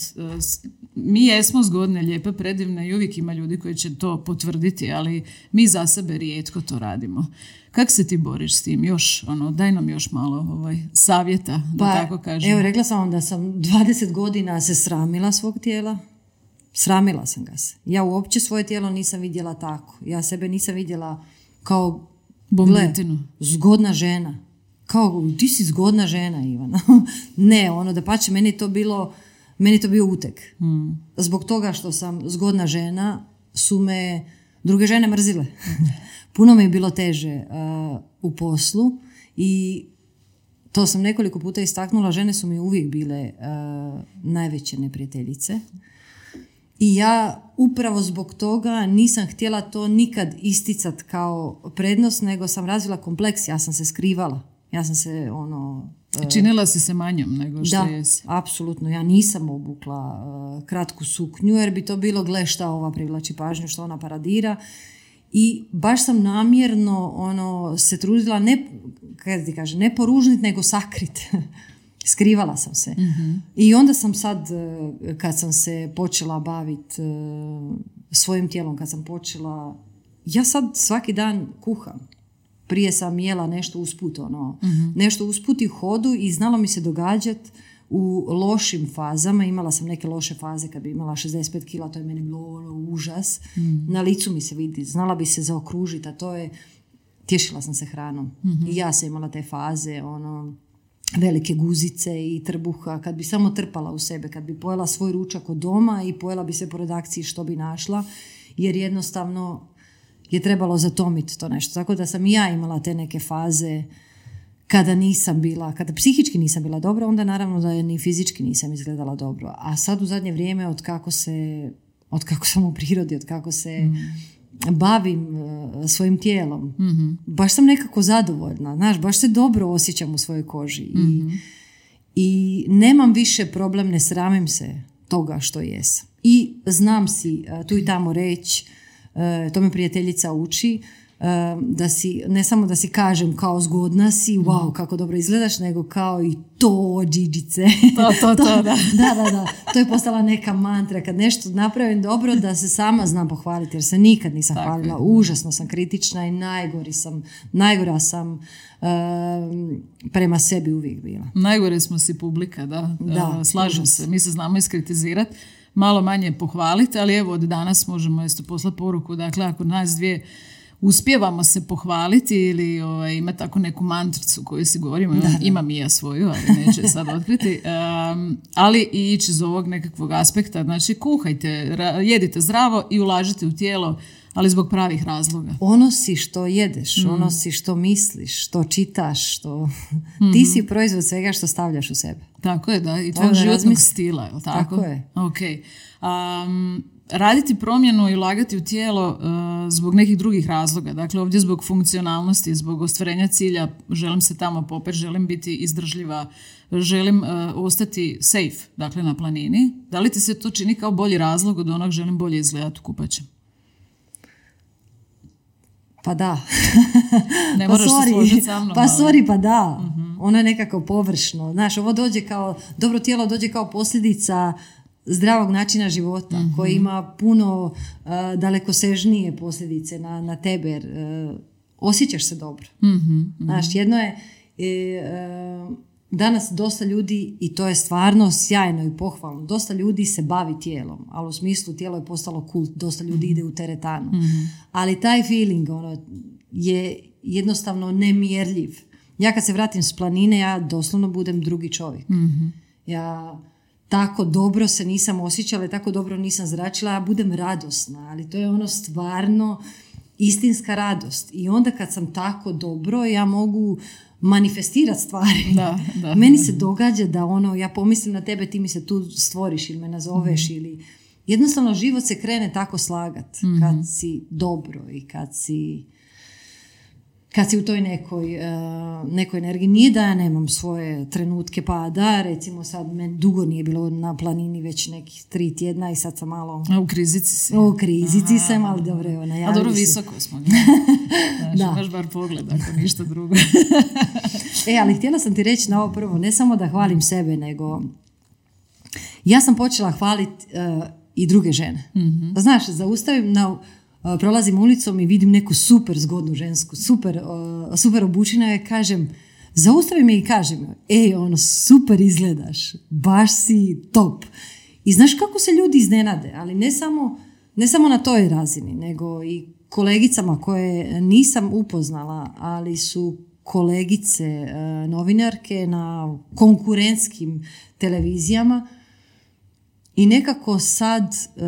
Mi jesmo zgodne, lijepe, predivne i uvijek ima ljudi koji će to potvrditi, ali mi za sebe rijetko to radimo. Kako se ti boriš s tim? Još, ono, daj nam još malo ovaj, savjeta, da pa, tako kažem. Evo, rekla sam vam da sam dvadeset godina se sramila svog tijela. Sramila sam ga se. Ja uopće svoje tijelo nisam vidjela tako. Ja sebe nisam vidjela kao bombetinu. Zgodna žena. Kao, ti si zgodna žena, Ivana. Ne, ono, da pače, meni je to bilo, meni je to bio utek. Hmm. Zbog toga što sam zgodna žena, su me druge žene mrzile. Puno mi je bilo teže uh, u poslu i to sam nekoliko puta istaknula, žene su mi uvijek bile uh, najveće neprijateljice. I ja upravo zbog toga nisam htjela to nikad isticat kao prednost, nego sam razvila kompleks, ja sam se skrivala. Ja sam se ono... Činila si se manjom nego što da, jesi. Da, apsolutno. Ja nisam obukla uh, kratku suknju jer bi to bilo gle šta ova privlači pažnju, što ona paradira. I baš sam namjerno ono, se trudila ne, kada ti kaže, ne poružnit, nego sakrit. Skrivala sam se. Mm-hmm. I onda sam sad, kad sam se počela baviti uh, svojim tijelom, kad sam počela... Ja sad svaki dan kuham. Prije sam jela nešto usput, ono, mm-hmm. nešto usput i hodu i znalo mi se događati u lošim fazama. Imala sam neke loše faze kad bi imala šezdeset pet kila, to je meni bilo ono, užas. Mm-hmm. Na licu mi se vidi, znala bi se zaokružiti, a to je, tješila sam se hranom. Mm-hmm. I ja sam imala te faze, ono, velike guzice i trbuha, kad bi samo trpala u sebe, kad bi pojela svoj ručak od doma i pojela bi se po redakciji što bi našla, jer jednostavno je trebalo zatomiti to nešto. Tako da sam i ja imala te neke faze kada nisam bila, kada psihički nisam bila dobro, onda naravno da je ni fizički nisam izgledala dobro. A sad u zadnje vrijeme, od kako se, od kako sam u prirodi, od kako se mm. bavim uh, svojim tijelom, mm-hmm. baš sam nekako zadovoljna. Znaš, baš se dobro osjećam u svojoj koži. Mm-hmm. I, I nemam više problem, ne sramim se toga što jesam. I znam si uh, tu i tamo reći, Uh, to me prijateljica uči, uh, da si, ne samo da si kažem kao zgodna si, wow, kako dobro izgledaš, nego kao i to, džiđice. To, to, to, da. da, da, da. To je postala neka mantra. Kad nešto napravim dobro, da se sama znam pohvaliti, jer se nikad nisam Tako hvalila. Je. Užasno sam kritična i najgori sam, najgora sam uh, prema sebi uvijek bila. Najgore smo si publika, da. da uh, slažem se. Mi se znamo iskritizirati. Malo manje pohvaliti, ali evo od danas možemo isto poslati poruku. Dakle, ako nas dvije uspijevamo se pohvaliti ili ovaj, ima tako neku mantricu koju si govorimo, da, imam i ja svoju, ali neću je sad otkriti, um, ali i ići iz ovog nekakvog aspekta, znači kuhajte, ra- jedite zdravo i ulažite u tijelo, ali zbog pravih razloga. Ono si što jedeš, mm. ono si što misliš, što čitaš, što... Mm-hmm. Ti si proizvod svega što stavljaš u sebe. Tako je, da, i tvojeg životnog razmis... stila, je li tako? Tako je. Okay. Um, raditi promjenu i ulagati u tijelo uh, zbog nekih drugih razloga, dakle ovdje zbog funkcionalnosti, zbog ostvarenja cilja, želim se tamo popet, želim biti izdržljiva, želim uh, ostati safe, dakle na planini. Da li ti se to čini kao bolji razlog od onog želim bolje izgledati u kupaćem? Pa da. Ne moraš pa se složiti sa mnom. Pa sorry, pa da. Uh-huh. Ono je nekako površno. Znaš, ovo dođe kao, dobro tijelo dođe kao posljedica zdravog načina života, uh-huh. koji ima puno uh, dalekosežnije posljedice na, na tebe, jer uh, osjećaš se dobro. Uh-huh. Znaš, jedno je, je uh, danas dosta ljudi, i to je stvarno sjajno i pohvalno, dosta ljudi se bavi tijelom, ali u smislu tijelo je postalo kult, dosta ljudi ide u teretanu. Mm-hmm. Ali taj feeling ono, je jednostavno nemjerljiv. Ja kad se vratim s planine, ja doslovno budem drugi čovjek. Mm-hmm. Ja tako dobro se nisam osjećala, tako dobro nisam zračila, ja budem radosna, ali to je ono stvarno istinska radost. I onda kad sam tako dobro, ja mogu manifestirati stvari. Da, da, Meni da. se događa da ono, ja pomislim na tebe, ti mi se tu stvoriš ili me nazoveš mm-hmm. ili jednostavno život se krene tako slagat mm-hmm. kad si dobro i kad si kad si u toj nekoj, uh, nekoj energiji. Nije da ja nemam svoje trenutke pada, recimo sad me dugo nije bilo na planini već nekih tri tjedna i sad sam malo... A u krizici si. U krizici Aha. sam, ali dobro je ona. A dobro, visoko smo. Znaš, da. Imaš bar pogled, ako ništa drugo. E, ali htjela sam ti reći na ovo prvo, ne samo da hvalim sebe, nego ja sam počela hvaliti uh, i druge žene. Mm-hmm. Znaš, zaustavim, na, uh, prolazim ulicom i vidim neku super zgodnu žensku, super, uh, super obučena je, kažem, zaustavim je i kažem, ej, ono, super izgledaš, baš si top. I znaš kako se ljudi iznenade, ali ne samo, ne samo na toj razini, nego i kolegicama koje nisam upoznala, ali su kolegice e, novinarke na konkurentskim televizijama i nekako sad e,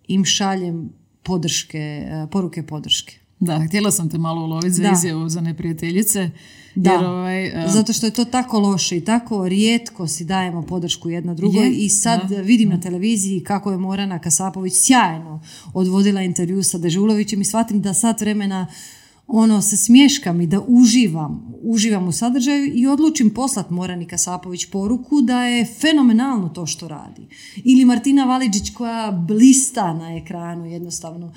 im šaljem podrške, e, poruke podrške. Da, htjela sam te malo uloviti za izjavu za neprijateljice. Da, jer ovaj, uh... zato što je to tako loše i tako rijetko si dajemo podršku jedna drugoj je, i sad da, vidim da. na televiziji kako je Morana Kasapović sjajno odvodila intervju sa Dežulovićem i shvatim da sat vremena ono se smješkam i da uživam, uživam u sadržaju i odlučim poslat Morani Kasapović poruku da je fenomenalno to što radi. Ili Martina Validžić koja blista na ekranu jednostavno.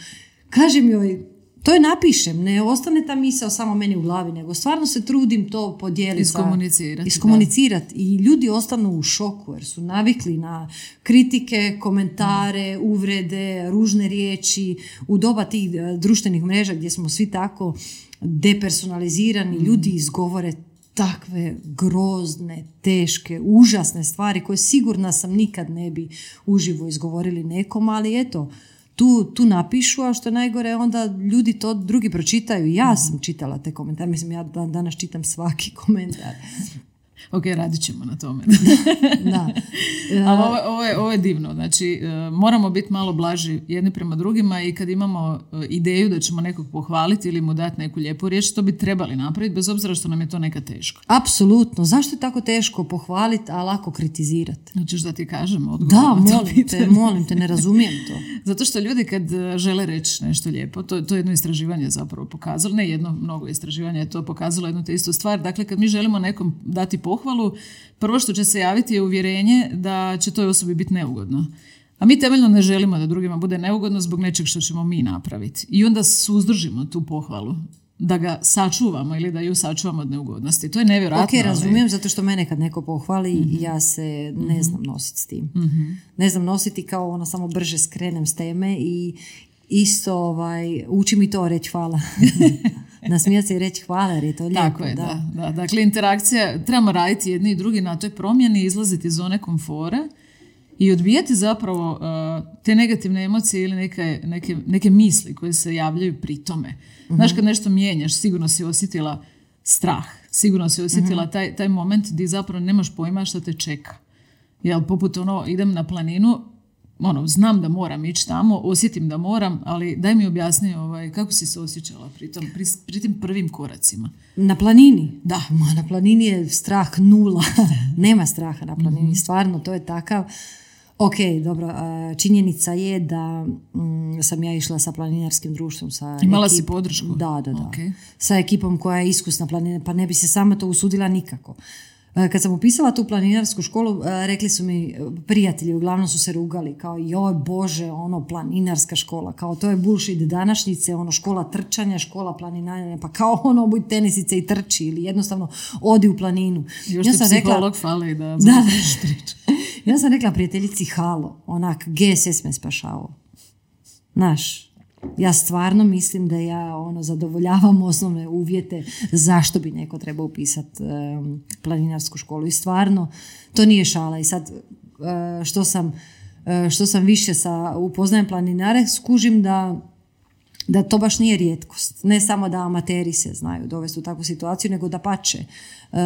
Kažem joj, to je napišem, ne ostane ta misao samo meni u glavi, nego stvarno se trudim to podijeliti. Iskomunicirati. Iskomunicirati. I ljudi ostanu u šoku jer su navikli na kritike, komentare, uvrede, ružne riječi. U doba tih društvenih mreža gdje smo svi tako depersonalizirani, mm. ljudi izgovore takve grozne, teške, užasne stvari koje sigurna sam nikad ne bi uživo izgovorili nekom, ali eto, Tu, tu napišu, a što je najgore, onda ljudi to drugi pročitaju. Ja sam čitala te komentare, mislim, ja danas čitam svaki komentar. Ok, radit ćemo na tome. Da. Ali ovo, ovo, je, ovo je divno. Znači, moramo biti malo blaži jedni prema drugima i kad imamo ideju da ćemo nekog pohvaliti ili mu dati neku lijepu riječ, to bi trebali napraviti, bez obzira što nam je to nekad teško. Apsolutno. Zašto je tako teško pohvaliti, a lako kritizirati? Hoćeš da ti kažem odgovor? Da, molim te, molim te, ne razumijem to. Zato što ljudi kad žele reći nešto lijepo, to, to je jedno istraživanje zapravo pokazalo, ne jedno, mnogo istraživanja je to pokazalo jednu te istu stvar. Dakle, kad mi želimo nekom dati pohvalu, prvo što će se javiti je uvjerenje da će toj osobi biti neugodno. A mi temeljno ne želimo da drugima bude neugodno zbog nečeg što ćemo mi napraviti. I onda suzdržimo tu pohvalu, da ga sačuvamo ili da ju sačuvamo od neugodnosti. To je nevjerojatno. Ok, razumijem, ali... zato što mene kad neko pohvali, mm-hmm. ja se ne znam nositi s tim. Mm-hmm. Ne znam nositi kao ono, samo brže skrenem s teme i isto ovaj, uči mi to reći hvala. Nasmijati se i reći hvala jer je to lijepo. Tako je, da. Da, da. Dakle, interakcija, trebamo raditi jedni i drugi na toj promjeni, izlaziti iz zone komfora i odbijati zapravo uh, te negativne emocije ili neke, neke, neke misli koje se javljaju pri tome. Uh-huh. Znaš, kad nešto mijenjaš, sigurno si osjetila strah, sigurno si osjetila uh-huh. taj, taj moment gdje zapravo nemaš pojma što te čeka. Jel, poput ono, idem na planinu, ono, znam da moram ići tamo, osjetim da moram, ali daj mi objasni ovaj, kako si se osjećala pri, tom, pri, pri tim prvim koracima. Na planini? Da. Ma, na planini je strah nula. Nema straha na planini. Mm-hmm. Stvarno, to je takav. Ok, dobro, činjenica je da mm, sam ja išla sa planinarskim društvom. Sa Imala ekip... si podršku? Da, da, da. Okay. Sa ekipom koja je iskusna planinarka, pa ne bi se sama to usudila nikako. Kad sam upisala tu planinarsku školu, rekli su mi prijatelji, uglavnom su se rugali, kao joj Bože, ono planinarska škola, kao to je bullshit današnjice, ono škola trčanja, škola planinaranja, pa kao ono buď tenisice i trči ili jednostavno odi u planinu. Još ja ti sam psiholog rekla, fali da... da ja sam rekla prijateljici halo, onak, G S S me spašavao. Znaš, ja stvarno mislim da ja ono zadovoljavam osnovne uvjete zašto bi neko trebao upisati um, planinarsku školu. I stvarno, to nije šala. I sad, uh, što, sam, uh, što sam više sa upoznajem planinare, skužim da, da to baš nije rijetkost. Ne samo da amateri se znaju dovesti u takvu situaciju, nego da pače. Uh,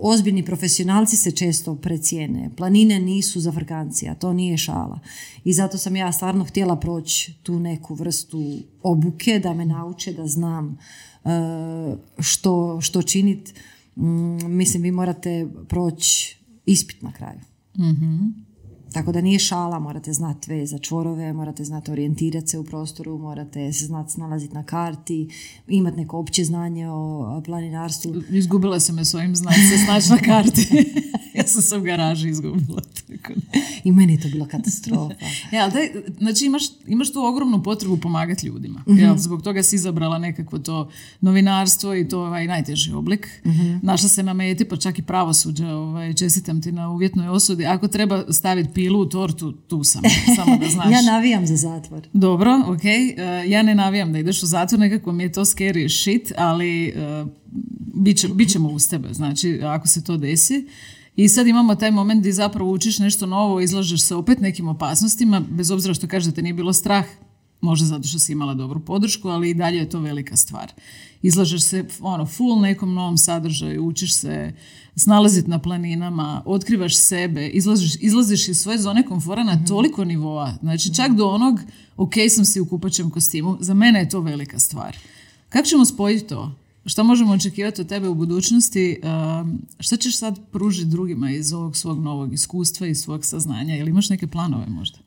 ozbiljni profesionalci se često precijene. Planine nisu za frkancija, to nije šala. I zato sam ja stvarno htjela proći tu neku vrstu obuke, da me nauče, da znam uh, što, što činiti. Mm, mislim, vi morate proći ispit na kraju. Mm-hmm. Tako da nije šala, morate znati ve za čvorove, morate znati orijentirati se u prostoru, morate se znati snalaziti na karti, imati neko opće znanje o planinarstvu. Izgubila sam me svojim znanjem se snaći na karti. Ja sam se u garaži izgubila. Tako. I meni je to bila katastrofa. Ja, ali daj, znači imaš, imaš tu ogromnu potrebu pomagati ljudima. Mm-hmm. Jel, zbog toga si izabrala nekako to novinarstvo i to ovaj najteži oblik. Mm-hmm. Našla se na meti, pa čak i pravosuđe. Ovaj, čestitam ti na uvjetnoj osudi. Ako treba staviti pilu u tortu, tu sam. Samo da znaš. Ja navijam za zatvor. Dobro, ok. Uh, ja ne navijam da ideš u zatvor, nekako mi je to scary shit, ali uh, bit, će, bit ćemo uz tebe, znači ako se to desi. I sad imamo taj moment gdje zapravo učiš nešto novo, izlažeš se opet nekim opasnostima, bez obzira što kažeš da te nije bilo strah, možda zato što si imala dobru podršku, ali i dalje je to velika stvar. Izlažeš se ono, full nekom novom sadržaju, učiš se snalaziti na planinama, otkrivaš sebe, izlaziš, izlaziš iz svoje zone komfora na mm-hmm. toliko nivoa. Znači čak do onog, ok, sam si u kupaćem kostimu, za mene je to velika stvar. Kako ćemo spojiti to? Šta možemo očekivati od tebe u budućnosti? Šta ćeš sad pružiti drugima iz ovog svog novog iskustva i svog saznanja? Ili imaš neke planove možda?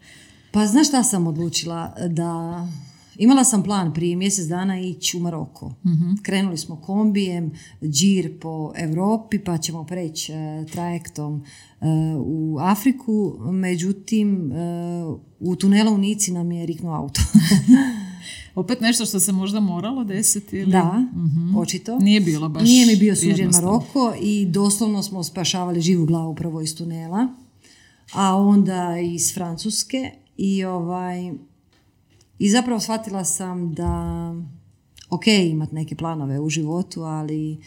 Pa znaš šta sam odlučila? Da imala sam plan prije mjesec dana ići u Maroko. Mm-hmm. Krenuli smo kombijem, džir po Europi, pa ćemo preći uh, trajektom uh, u Afriku. Međutim, uh, u tunelu u Nici nam je riknuo auto. Opet nešto što se možda moralo desiti? Ili? Da, mm-hmm. očito. Nije bilo baš Nije mi bio suđen Maroko i doslovno smo spašavali živu glavu prvo iz tunela, a onda iz Francuske. I, ovaj, i zapravo shvatila sam da ok, imati neke planove u životu, ali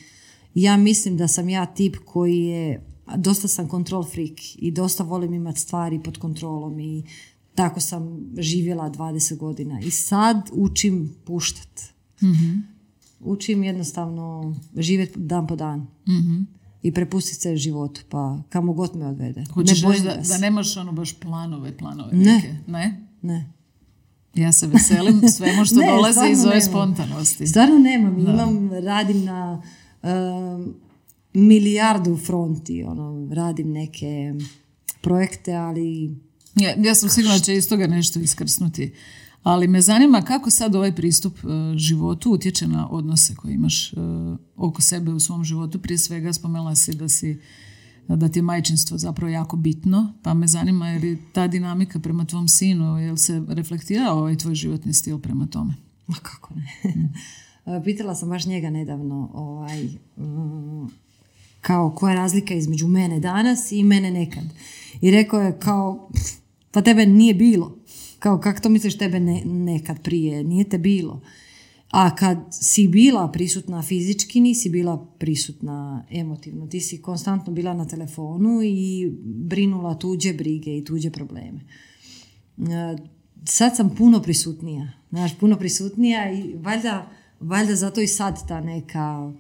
ja mislim da sam ja tip koji je, dosta sam control freak i dosta volim imati stvari pod kontrolom i tako sam živjela dvadeset godina i sad učim puštat. Mm-hmm. Učim jednostavno živjeti dan po dan. Mm-hmm. I prepustiti se životu, pa kamo god me odvede. Hoćeš ne da, da nemaš ono baš planove, planove ne. neke? Ne? Ne. Ja se veselim svemu što ne, dolazi iz ove spontanosti. Stvarno nemam. Da. Imam, radim na um, milijardu fronti. Ono, radim neke projekte, ali... Ja, ja sam sigurna da će iz toga nešto iskrsnuti. Ali me zanima kako sad ovaj pristup uh, životu utječe na odnose koje imaš uh, oko sebe u svom životu. Prije svega spomenula si da, si da ti je majčinstvo zapravo jako bitno, pa me zanima je li ta dinamika prema tvom sinu, je li se reflektira ovaj tvoj životni stil prema tome? Ma kako ne. Mm. Pitala sam baš njega nedavno ovaj, um, kao koja je razlika između mene danas i mene nekad. I rekao je kao, pa tebe nije bilo. Kao, kako to misliš tebe ne, nekad prije? Nije te bilo. A kad si bila prisutna fizički, nisi bila prisutna emotivno. Ti si konstantno bila na telefonu i brinula tuđe brige i tuđe probleme. Sad sam puno prisutnija. Znaš, puno prisutnija i valjda, valjda zato i sad ta neka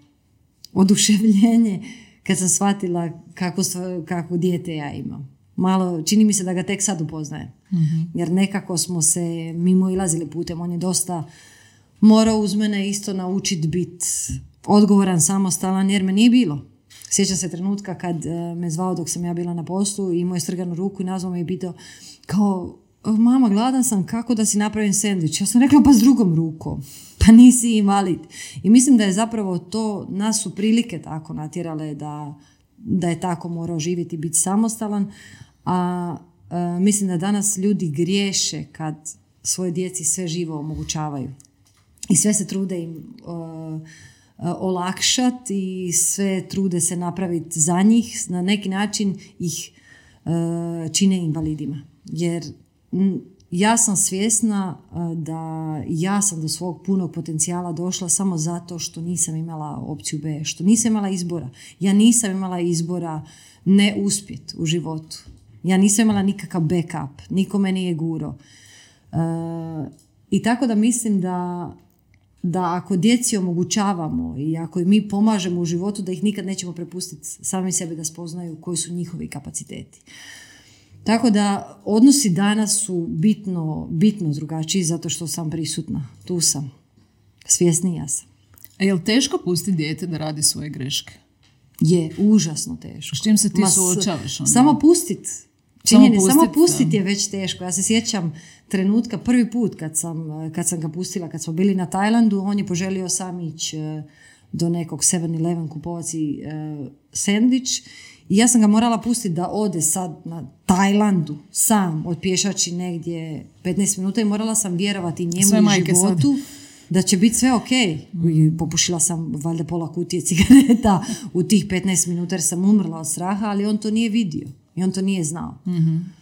oduševljenje kad sam shvatila kako, kako dijete ja imam. Malo, čini mi se da ga tek sad upoznajem. Mm-hmm. Jer nekako smo se mimo ilazili putem. On je dosta morao uz mene isto naučiti biti odgovoran, samostalan, jer me nije bilo. Sjećam se trenutka kad me zvao dok sam ja bila na poslu i imao je strganu ruku i nazvao me i pitao kao, mama, gladan sam, kako da si napravim sendvič? Ja sam rekla, pa s drugom rukom. Pa nisi invalid. I mislim da je zapravo to, nas su prilike tako natjerale da, da je tako morao živjeti i biti samostalan. A e, mislim da danas ljudi griješe kad svoje djeci sve živo omogućavaju. I sve se trude im uh, olakšati i sve trude se napraviti za njih. Na neki način ih uh, čine invalidima. Jer m, ja sam svjesna uh, da ja sam do svog punog potencijala došla samo zato što nisam imala opciju B, što nisam imala izbora. Ja nisam imala izbora ne uspjeti u životu. Ja nisam imala nikakav backup, niko me nije guro. Uh, I tako da mislim da da ako djeci omogućavamo i ako mi pomažemo u životu, da ih nikad nećemo prepustiti sami sebi da spoznaju koji su njihovi kapaciteti. Tako da odnosi danas su bitno, bitno drugačiji zato što sam prisutna. Tu sam. Svjesnija sam. A je li teško pustiti dijete da radi svoje greške? Je, užasno teško. S čim se ti Ma, suočavaš onda? Samo pustit. Činjeni, samo pustit, samo pustit je već teško. Ja se sjećam trenutka, prvi put kad sam, kad sam ga pustila, kad smo bili na Tajlandu, on je poželio sam ići do nekog seven eleven kupovati uh, sendvič I ja sam ga morala pustiti da ode sad na Tajlandu sam, otpješači negdje petnaest minuta i morala sam vjerovati njemu i životu sad. Da će biti sve ok. Mm. Popušila sam valjda pola kutije cigareta u tih petnaest minuta jer sam umrla od straha, ali on to nije vidio i on to nije znao. Mm-hmm.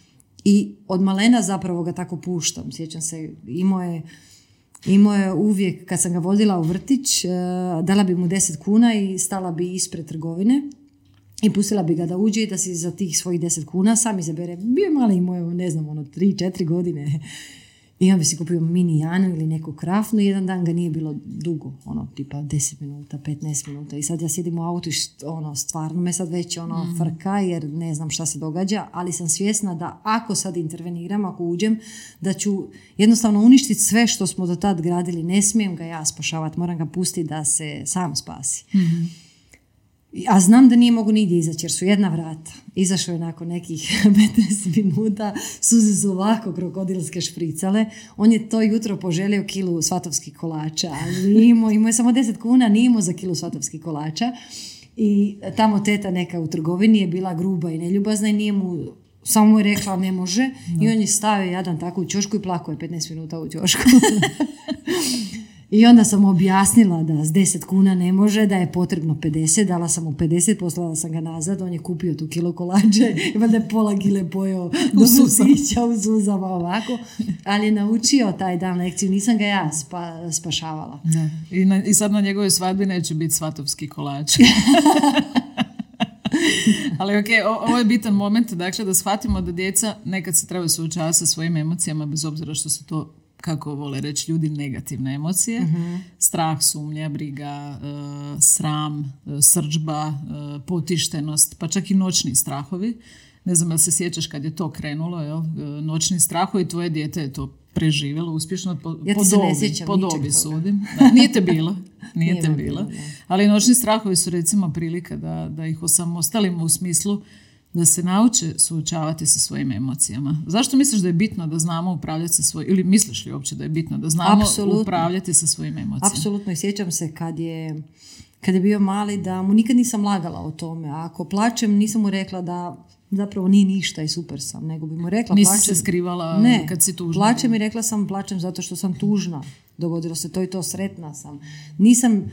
I od malena zapravo ga tako puštam. Sjećam se, imao je, imao je uvijek, kad sam ga vodila u vrtić, uh, dala bi mu deset kuna i stala bi ispred trgovine i pustila bi ga da uđe i da si za tih svojih deset kuna sam izabere. Bio je mali moj, ne znam, ono, tri, četiri godine. I on bi si kupio mini Janu ili neku krafnu i jedan dan ga nije bilo dugo, ono, tipa deset minuta, petnaest minuta. I sad ja sjedim u autu i ono, stvarno me sad već ono mm. frka jer ne znam šta se događa, ali sam svjesna da ako sad interveniram, ako uđem, da ću jednostavno uništiti sve što smo do tad gradili. Ne smijem ga ja spašavati, moram ga pustiti da se sam spasi. Mm-hmm. A znam da nije mogu nigdje izaći jer su jedna vrata. Izašao je nakon nekih petnaest minuta, suze su ovako krokodilske špricale. On je to jutro poželio kilu svatovskih kolača, ali imao, imao je samo deset kuna, nije imao za kilu svatovskih kolača. I tamo teta neka u trgovini je bila gruba i neljubazna i nije mu, samo mu je rekla ne može. No. I on je stavio jadan tako u ćošku i plakao je petnaest minuta u ćošku. I onda sam objasnila da s deset kuna ne može, da je potrebno pedeset, dala sam mu pedeset, poslala sam ga nazad, on je kupio tu kilo kolače i valjda je pola gile pojeo do susića u suzama ovako, ali je naučio taj dan lekciju, nisam ga ja spa, spašavala. Da. I, na, I sad na njegovoj svadbi neće biti svatovski kolač. Ali ok, ovo je bitan moment, dakle da shvatimo da djeca nekad se trebaju suočavati sa svojim emocijama, bez obzira što su to, kako vole reći ljudi, negativne emocije. Mm-hmm. Strah, sumnja, briga, uh, sram, uh, srdžba, uh, potištenost, pa čak i noćni strahovi. Ne znam, jel se sjećaš kad je to krenulo, jel? Uh, noćni strahovi, tvoje dijete je to preživjelo uspješno, po, ja po dobi, po dobi sudim. Da, nije te bilo, nije, nije te bilo. bilo ali noćni strahovi su recimo prilika da, da ih osamostalimo u smislu da se nauče suočavati sa svojim emocijama. Zašto misliš da je bitno da znamo upravljati sa svojim, ili misliš li uopće da je bitno da znamo Apsolutno. upravljati sa svojim emocijama? Apsolutno, i sjećam se kad je, kad je bio mali da mu nikad nisam lagala o tome. A ako plačem, nisam mu rekla da zapravo nije ništa i super sam, nego bi mu rekla Nisi plačem. se skrivala ne, kad si tužna? Plačem i rekla sam plačem zato što sam tužna. Dogodilo se to i to, sretna sam. Nisam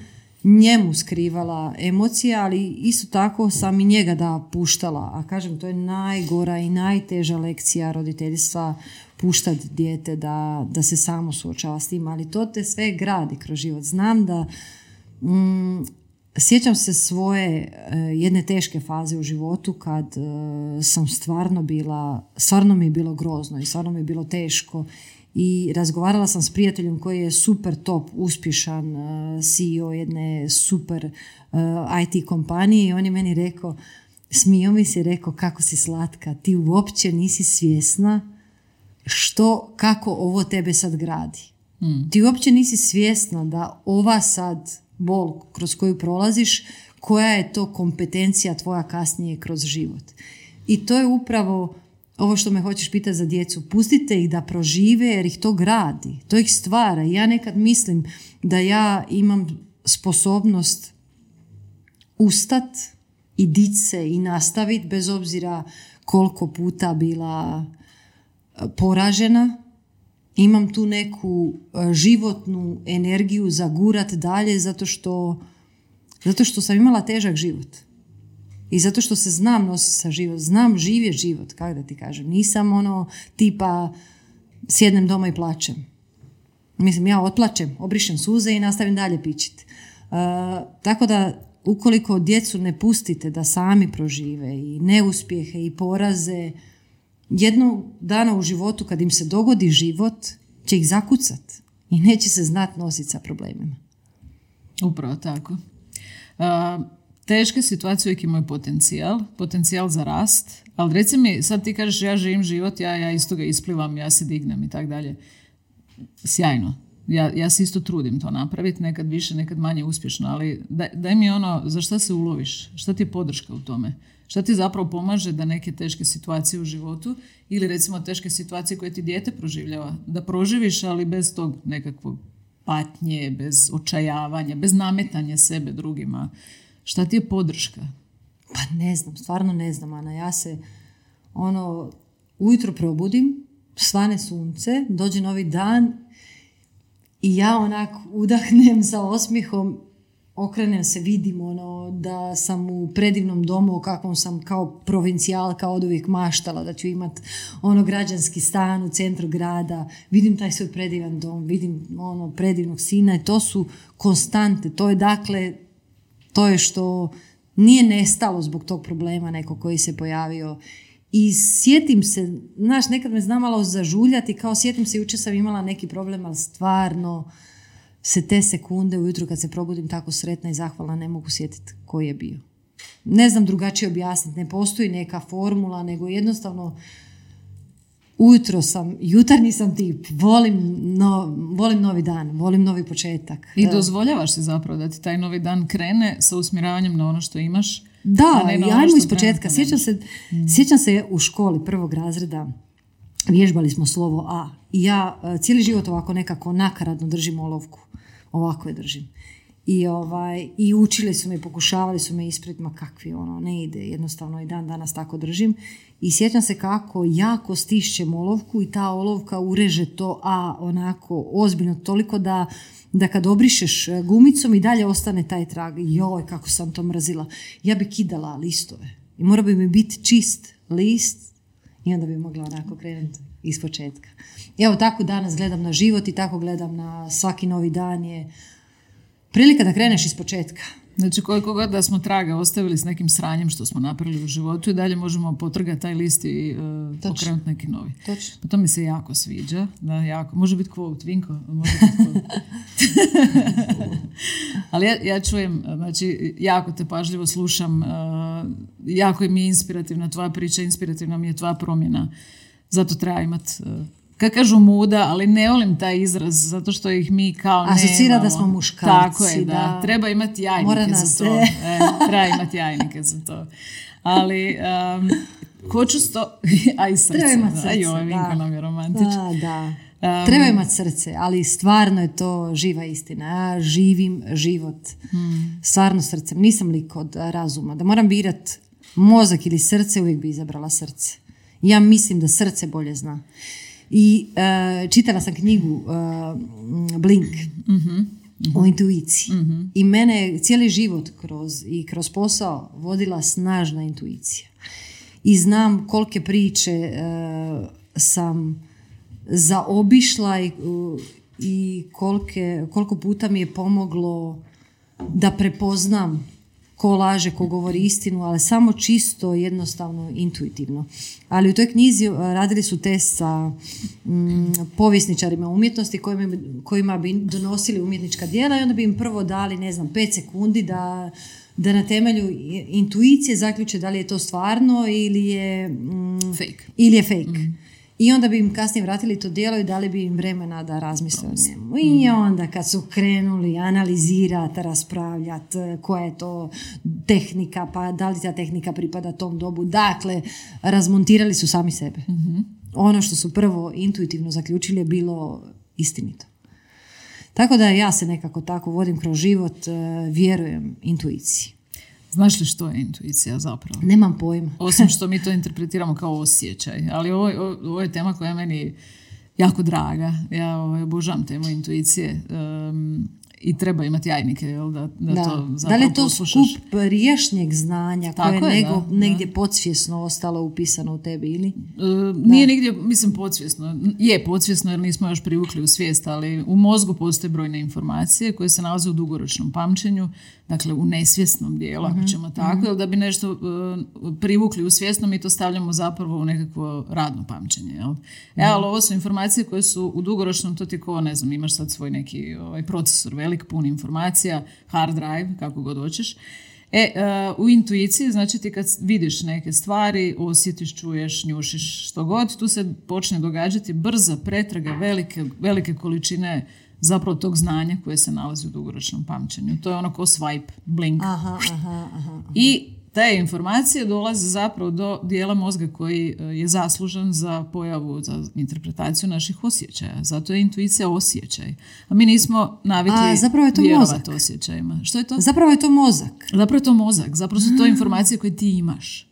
njemu skrivala emocije, ali isto tako sam i njega da puštala. A kažem, to je najgora i najteža lekcija roditeljstva, puštati dijete da, da se samo suočava s tim, ali to te sve gradi kroz život. Znam da mm, sjećam se svoje uh, jedne teške faze u životu kad uh, sam stvarno bila, stvarno mi je bilo grozno i stvarno mi je bilo teško. I razgovarala sam s prijateljem koji je super top, uspješan uh, C E O jedne super uh, I T kompanije i on je meni rekao, smio mi se, rekao kako si slatka, ti uopće nisi svjesna što, kako ovo tebe sad gradi. Mm. Ti uopće nisi svjesna da ova sad bol kroz koju prolaziš, koja je to kompetencija tvoja kasnije kroz život. I to je upravo ovo što me hoćeš pitati za djecu. Pustite ih da prožive jer ih to gradi. To ih stvara. Ja nekad mislim da ja imam sposobnost ustat i dići se i nastaviti bez obzira koliko puta bila poražena. Imam tu neku životnu energiju za gurat dalje zato što, zato što sam imala težak život. I zato što se znam nositi sa život, znam živjeti život, kako da ti kažem. Nisam ono tipa sjednem doma i plačem. Mislim, ja otplačem, obrišem suze i nastavim dalje pičiti. Uh, tako da, ukoliko djecu ne pustite da sami prožive i neuspjehe i poraze, jednog dana u životu kad im se dogodi život, će ih zakucat i neće se znati nositi sa problemima. Upravo tako. Uh... Teške situacije uvijek imaju potencijal, potencijal za rast, ali reci mi, sad ti kažeš ja živim život, ja, ja isto ga isplivam, ja se dignem i tak dalje. Sjajno. Ja, ja se isto trudim to napraviti, nekad više, nekad manje uspješno, ali daj, daj mi ono, za šta se uloviš? Šta ti je podrška u tome? Šta ti zapravo pomaže da neke teške situacije u životu ili recimo teške situacije koje ti dijete proživljava, da proživiš, ali bez tog nekakvog patnje, bez očajavanja, bez nametanja sebe drugima? Šta ti je podrška? Pa ne znam, stvarno ne znam, Ana. Ja se ono, ujutro probudim, svane sunce, dođe novi dan i ja onak udahnem sa osmihom, okrenem se, vidim ono, da sam u predivnom domu o kakvom sam kao provincijalka od uvijek maštala, da ću imat ono građanski stan u centru grada, vidim taj svoj predivan dom, vidim ono predivnog sina i to su konstante. To je dakle, to je što nije nestalo zbog tog problema neko koji se pojavio. I sjetim se, znaš, nekad me zna malo zažuljati, kao sjetim se, jučer sam imala neki problem, ali stvarno se te sekunde ujutro kad se probudim tako sretna i zahvalna ne mogu sjetiti koji je bio. Ne znam drugačije objasniti, ne postoji neka formula, nego jednostavno ujutro sam, jutarnji sam tip, volim, no, volim novi dan, volim novi početak. I dozvoljavaš si zapravo da ti taj novi dan krene sa usmjeravanjem na ono što imaš. Da, ajmo iz početka. Sjećam se, mm. sjećam se u školi prvog razreda, vježbali smo slovo A i ja cijeli život ovako nekako nakaradno držim olovku. Ovako je držim. I, ovaj, i učili su me, pokušavali su me ispraviti, ma kakvi ono, ne ide, jednostavno i dan danas tako držim. I sjećam se kako jako stišćem olovku i ta olovka ureže to A onako ozbiljno, toliko da, da kad obrišeš gumicom i dalje ostane taj trag. Joj, kako sam to mrazila. Ja bi kidala listove i mora bi mi biti čist list i onda bi mogla onako krenuti iz početka. Evo, tako danas gledam na život i tako gledam na svaki novi dan je prilika da kreneš iz početka. Znači, koliko god da smo traga ostavili s nekim sranjem što smo napravili u životu i dalje možemo potrgati taj list i uh, pokrenuti neki novi. Točno. Pa to mi se jako sviđa. Da, jako. Može biti quote, Vinko. Može biti quote. Ali ja, ja čujem, znači, jako te pažljivo slušam, uh, jako mi je inspirativna tvoja priča, inspirativna mi je tvoja promjena. Zato treba imati... Uh, Kad kažu muda, ali ne volim taj izraz, zato što ih mi kao nemamo. Asocira da smo muškarci. Tako je, da. da. Treba imati jajnike za to. E, treba imati jajnike za to. Ali, um, hoću sto... Aj srce. Treba imati srce, Aj, joj, Vinko nam je romantičan. Da, da. Um, Treba imati srce, ali stvarno je to živa istina. Ja živim život. Hmm. Stvarno srcem. Nisam lik od razuma. Da moram birat mozak ili srce, uvijek bi izabrala srce. Ja mislim da srce bolje zna. I uh, čitala sam knjigu uh, Blink mm-hmm. o intuiciji. Mm-hmm. I mene je cijeli život kroz, i kroz posao vodila snažna intuicija. I znam kolike priče uh, sam zaobišla i, uh, i kolike, koliko puta mi je pomoglo da prepoznam ko laže, ko govori istinu, ali samo čisto, jednostavno, intuitivno. Ali u toj knjizi radili su test sa mm, povjesničarima umjetnosti kojima, kojima bi donosili umjetnička djela i onda bi im prvo dali, ne znam, pet sekundi da, da na temelju intuicije zaključe da li je to stvarno ili je mm, fake. Ili je fake. Mm. I onda bi im kasnije vratili to djelo i dali bi im vremena da razmisle o njemu. I onda kad su krenuli analizirati, raspravljati koja je to tehnika, pa da li ta tehnika pripada tom dobu. Dakle, razmontirali su sami sebe. Mm-hmm. Ono što su prvo intuitivno zaključili je bilo istinito. Tako da ja se nekako tako vodim kroz život, vjerujem intuiciji. Znaš li što je intuicija zapravo? Nemam pojma. Osim što mi to interpretiramo kao osjećaj. Ali ovo, ovo je tema koja je meni jako draga. Ja ovaj, obožavam temu intuicije. Um, i treba imati jajnike, jel, da, da, da. to zapravo da li je to poslušaš. Skup riješnjeg znanja Tako koje je, je nego, da, negdje da. podsvjesno ostalo upisano u tebi, ili? E, nije nigdje, mislim, podsvjesno. Je podsvjesno jer nismo još privukli u svijest, ali u mozgu postoje brojne informacije koje se nalaze u dugoročnom pamćenju, dakle u nesvjesnom dijelu, mm-hmm. ako ćemo tako, mm-hmm. jer da bi nešto uh, privukli u svjesno, mi to stavljamo zapravo u nekakvo radno pamćenje. Jel? Mm-hmm. E, ali ovo su informacije koje su u dugoročnom, to ti ko, ne znam, imaš sad svoj neki ovaj, procesor velik, pun informacija, hard drive, kako god hoćeš. E, uh, u intuiciji, znači ti kad vidiš neke stvari, osjetiš, čuješ, njušiš, što god, tu se počne događati brza pretraga velike, velike količine zapravo tog znanja koje se nalazi u dugoročnom pamćenju. To je ono ko swipe, blink. Aha, aha, aha, aha. I te informacije dolaze zapravo do dijela mozga koji je zaslužan za pojavu, za interpretaciju naših osjećaja. Zato je intuicija osjećaj. A mi nismo navikli A, zapravo je to vjerovati mozak. osjećajima. Što je to? Zapravo je to mozak. Zapravo je to mozak. Zapravo su to informacije koje ti imaš.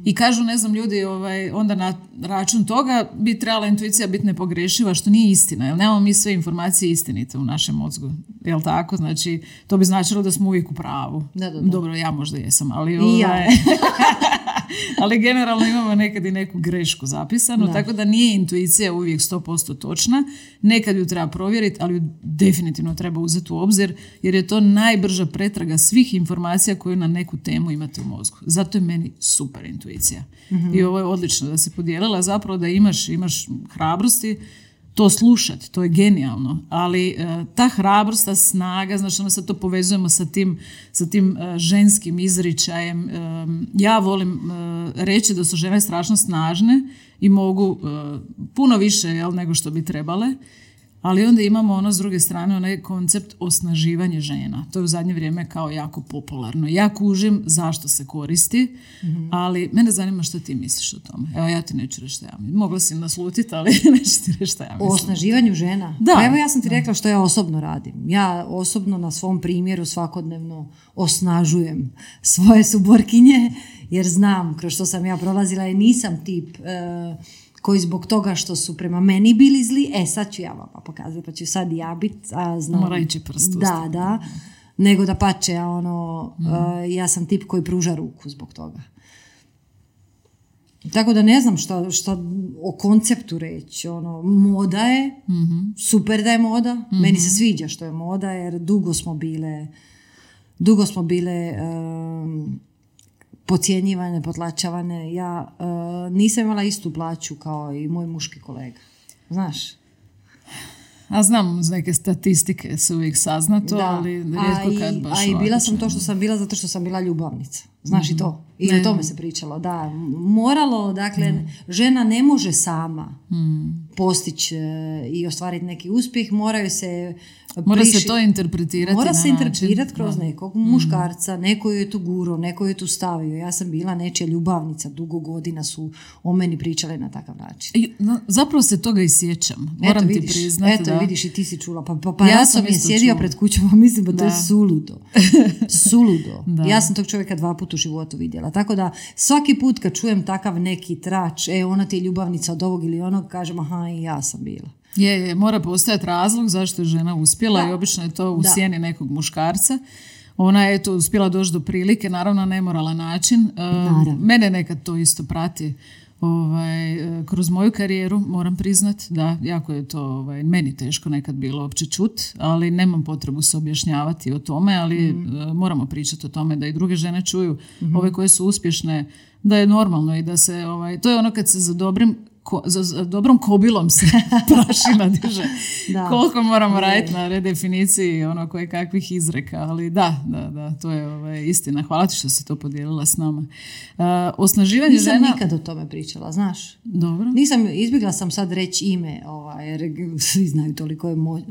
I kažu, ne znam, ljudi ovaj, onda na račun toga bi trebala intuicija biti nepogrešiva, što nije istina, jer nemamo mi sve informacije istinite u našem mozgu, jel tako? Znači, to bi značilo da smo uvijek u pravu. Da, da, da. Dobro, ja možda jesam, ali, I ovaj, ja. ali generalno imamo nekad i neku grešku zapisanu, Da. tako da nije intuicija uvijek sto posto točna, nekad ju treba provjeriti, ali ju definitivno treba uzeti u obzir, jer je to najbrža pretraga svih informacija koje na neku temu imate u mozgu. Zato je meni super intuicija. Mm-hmm. I ovo je odlično da se podijelila, zapravo da imaš, imaš hrabrosti to slušati, to je genijalno, ali uh, ta hrabrost, ta snaga, znači ono sad to povezujemo sa tim, sa tim uh, ženskim izričajem. Um, ja volim uh, reći da su žene strašno snažne i mogu uh, puno više, jel, nego što bi trebale, ali onda imamo ono s druge strane onaj koncept osnaživanja žena. To je u zadnje vrijeme kao jako popularno. Ja kužim zašto se koristi, mm-hmm. ali mene zanima što ti misliš o tome. Evo, ja ti neću reći što ja mislim. Mogla si naslutiti, ali neću ti reći što ja mislim. O osnaživanju žena? Da. Pa evo, ja sam ti rekla što ja osobno radim. Ja osobno na svom primjeru svakodnevno osnažujem svoje suborkinje, jer znam kroz što sam ja prolazila i nisam tip e, koji zbog toga što su prema meni bili zli, e sad ću ja vama pokazati, pa ću sad ja biti, a znam... Mora ići prst u Da, da. Nego da pače, ja, ono, mm. uh, ja sam tip koji pruža ruku zbog toga. Tako da ne znam što, što o konceptu reći. Ono, moda je, Mm-hmm. super da je moda. Mm-hmm. Meni se sviđa što je moda, jer dugo smo bile, dugo smo bile um, podcjenjivane, potlačavane. Ja uh, nisam imala istu plaću kao i moj muški kolega. Znaš? A znam, uz neke statistike se uvijek sazna to, Da. ali rijetko kad a i, baš a i bila ovako sam to čemu. što sam bila zato što sam bila ljubavnica. Znaš mm-hmm. i to? I Ne. o tome se pričalo. Da, moralo, dakle, mm. žena ne može sama Mm. postići e, i ostvariti neki uspjeh, moraju se Mora priši- se to interpretirati Mora na se način. interpretirati kroz Da. nekog muškarca, neko je tu guro, neko je tu stavio. Ja sam bila nečija ljubavnica, dugo godina su o meni pričale na takav način. I, no, zapravo se toga i sjećam. Moram eto, ti vidiš, priznati. eto, da. vidiš i ti si čula. Pa, pa, pa Ja ja sam sam je isto sjedio čula. pred kućom, a mislim da to je Da. suludo. Suludo. Da. Ja sam tog čovjeka dva puta u životu vidjela. Tako da svaki put kad čujem takav neki trač, e, ona ti je ljubavnica od ovog ili onog, kažem, aha, i ja sam bila. Je, je, mora postojati razlog zašto je žena uspjela Da. i obično je to u Da. sjeni nekog muškarca. Ona je to uspjela doći do prilike, naravno na nemoralan način. E, Naravno. mene nekad to isto prati ovaj, e, kroz moju karijeru, moram priznat, da, jako je to ovaj, meni teško nekad bilo uopće čut, ali nemam potrebu se objašnjavati o tome, ali Mm. e, moramo pričati o tome da i druge žene čuju, mm-hmm. ove koje su uspješne, da je normalno i da se, ovaj, to je ono kad se za dobrim Ko, za, za dobrom kobilom se prašina diže. Da. Koliko moramo Je. raditi na redefiniciji ono koje kakvih izreka, ali da, da, da, to je ovaj, istina. Hvala ti što si to podijelila s nama. Uh, osnaživanje Nisam žena... nikad o tome pričala, znaš. Dobro. Nisam, izbjegla sam sad reći ime, ovaj, jer svi znaju toliko je mo,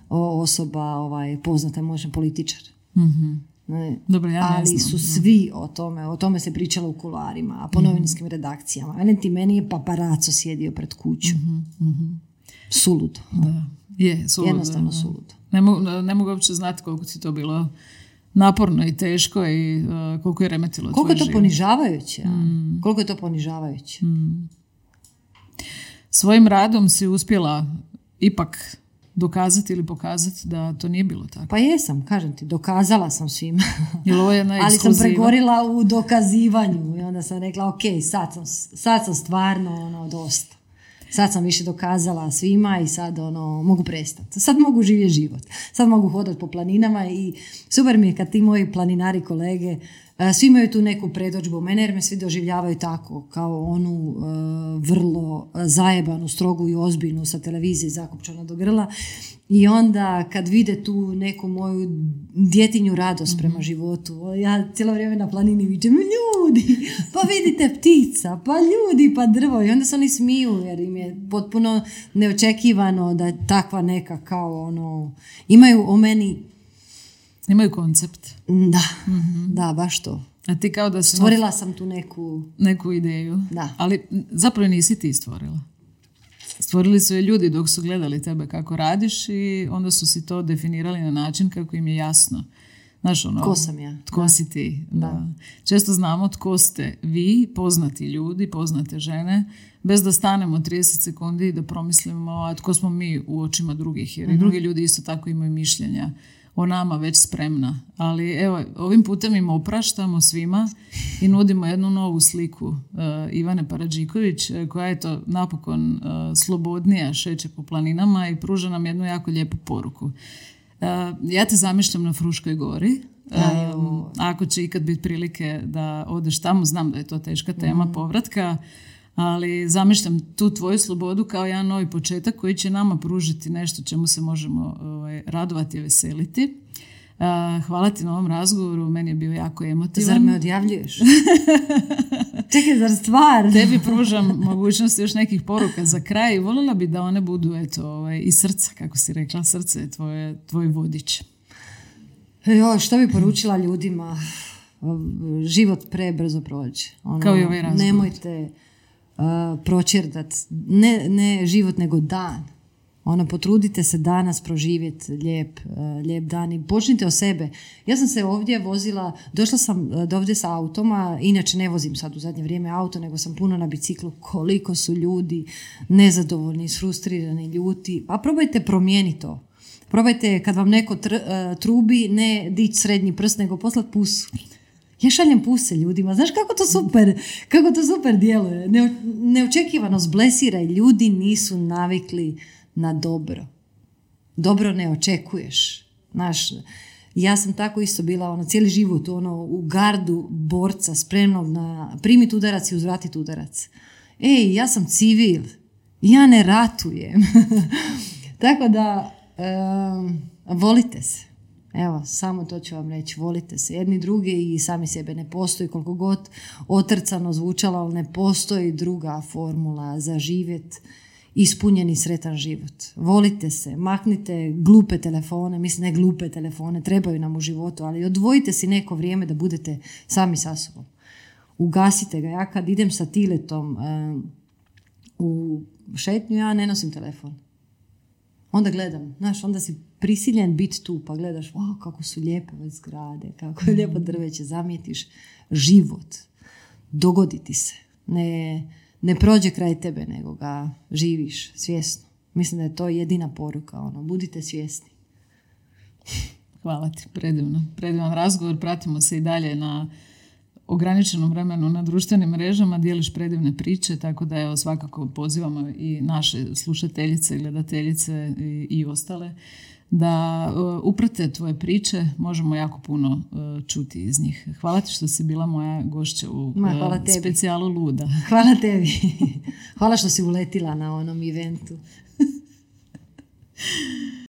o- osoba ovaj, poznata, možda političar. Mhm. Ne. Dobro, ja ne Ali znam. su svi o tome, o tome se pričalo u kuloarima, a po novinskim redakcijama. Velim ti, meni je paparaco sjedio pred kuću. Suludo. Da. Je, suludo, Jednostavno da. suludo. Ne mogu, ne mogu uopće znati koliko ti to bilo naporno i teško i uh, koliko je remetilo Koliko je tvoj to život. ponižavajuće? a? Koliko je to ponižavajuće? Svojim radom si uspjela ipak dokazati ili pokazati da to nije bilo tako. Pa jesam, kažem ti, dokazala sam svima. Jel ovo je jedna Ali sam ekskluziva? pregorila u dokazivanju i onda sam rekla, ok, sad sam, sad sam stvarno ono, dosta. Sad sam više dokazala svima i sad ono, mogu prestati. Sad mogu živjeti život. Sad mogu hodati po planinama i super mi je kad ti moji planinari kolege e, svi imaju tu neku predodžbu mene jer me svi doživljavaju tako kao onu e, vrlo zajebanu, strogu i ozbiljnu sa televizije zakopčana do grla. I onda kad vide tu neku moju djetinju radost prema životu, ja cijelo vrijeme na planini vičem, ljudi, pa vidite ptica, pa ljudi, pa drvo. I onda se oni smiju jer im je potpuno neočekivano da je takva neka kao ono, imaju o meni, Imaju koncept. da, da, baš to. A ti kao da si... Stvorila sam tu neku... Neku ideju. Da. Ali zapravo nisi ti stvorila. Stvorili su je ljudi dok su gledali tebe kako radiš i onda su si to definirali na način kako im je jasno. Znaš, ono, tko sam ja? Tko da. si ti? Da. Da. Često znamo tko ste vi, poznati ljudi, poznate žene, bez da stanemo trideset sekundi i da promislimo a tko smo mi u očima drugih. Jer mm-hmm. i drugi ljudi isto tako imaju mišljenja o nama već spremna. Ali evo, ovim putem im opraštamo svima i nudimo jednu novu sliku uh, Ivane Paradžiković, koja je to napokon uh, slobodnija, šeće po planinama i pruža nam jednu jako lijepu poruku. Uh, ja te zamišljam na Fruškoj gori. Um, ako će ikad biti prilike da odeš tamo, znam da je to teška tema mm. povratka, ali zamišljam tu tvoju slobodu kao jedan novi početak koji će nama pružiti nešto čemu se možemo ovaj, radovati i veseliti. Uh, hvala ti na ovom razgovoru, meni je bio jako emotivan. Zar me odjavljuješ? Čekaj, zar stvar? Tebi pružam mogućnost još nekih poruka za kraj i voljela bi da one budu eto, ovaj, iz srca, kako si rekla, srce je tvoje, tvoj vodič. Jo, što bi poručila ljudima? Život prebrzo prođe. Ono, kao i ovaj razgovor. Nemojte uh, pročerdati ne, ne život nego dan. Ono, potrudite se danas proživjeti lijep, uh, lijep dan i počnite od sebe. Ja sam se ovdje vozila, došla sam do ovdje sa automa, inače ne vozim sad u zadnje vrijeme auto, nego sam puno na biciklu. Koliko su ljudi nezadovoljni, frustrirani, ljuti. Pa probajte promijeniti to. Probajte kad vam neko tr, uh, trubi, ne dići srednji prst, nego poslati pusu. Ja šaljem puse ljudima. Znaš kako to super, kako to super djeluje. Ne, neočekivano zblesira i ljudi nisu navikli na dobro. Dobro ne očekuješ. Znaš, ja sam tako isto bila ono, cijeli život ono, u gardu borca spremnog na primiti udarac i uzvratiti udarac. Ej, ja sam civil. Ja ne ratujem. Tako da um, volite se. Evo, samo to ću vam reći, volite se jedni druge i sami sebe. Ne postoji, koliko god otrcano zvučalo, ali ne postoji druga formula za živjet ispunjeni sretan život. Volite se, maknite glupe telefone, mislim ne glupe telefone, trebaju nam u životu, ali odvojite si neko vrijeme da budete sami sa sobom. Ugasite ga. Ja kad idem sa Tiletom um, u šetnju, ja ne nosim telefon. Onda gledam, znaš, onda si prisiljen biti tu, pa gledaš, wow, kako su lijepe ove zgrade, kako je lijepo drveće, zamijetiš život, dogodi ti se, ne, ne prođe kraj tebe, nego ga živiš svjesno. Mislim da je to jedina poruka, ono, budite svjesni. Hvala ti, predivno, predivan razgovor, pratimo se i dalje na ograničenom vremenu na društvenim mrežama, dijeliš predivne priče, tako da evo svakako pozivamo i naše slušateljice, gledateljice i, i ostale da uh, uprate tvoje priče, možemo jako puno uh, čuti iz njih. Hvala ti što si bila moja gošća u Ma, uh, specijalu Luda. Hvala tebi. Hvala što si uletila na onom eventu.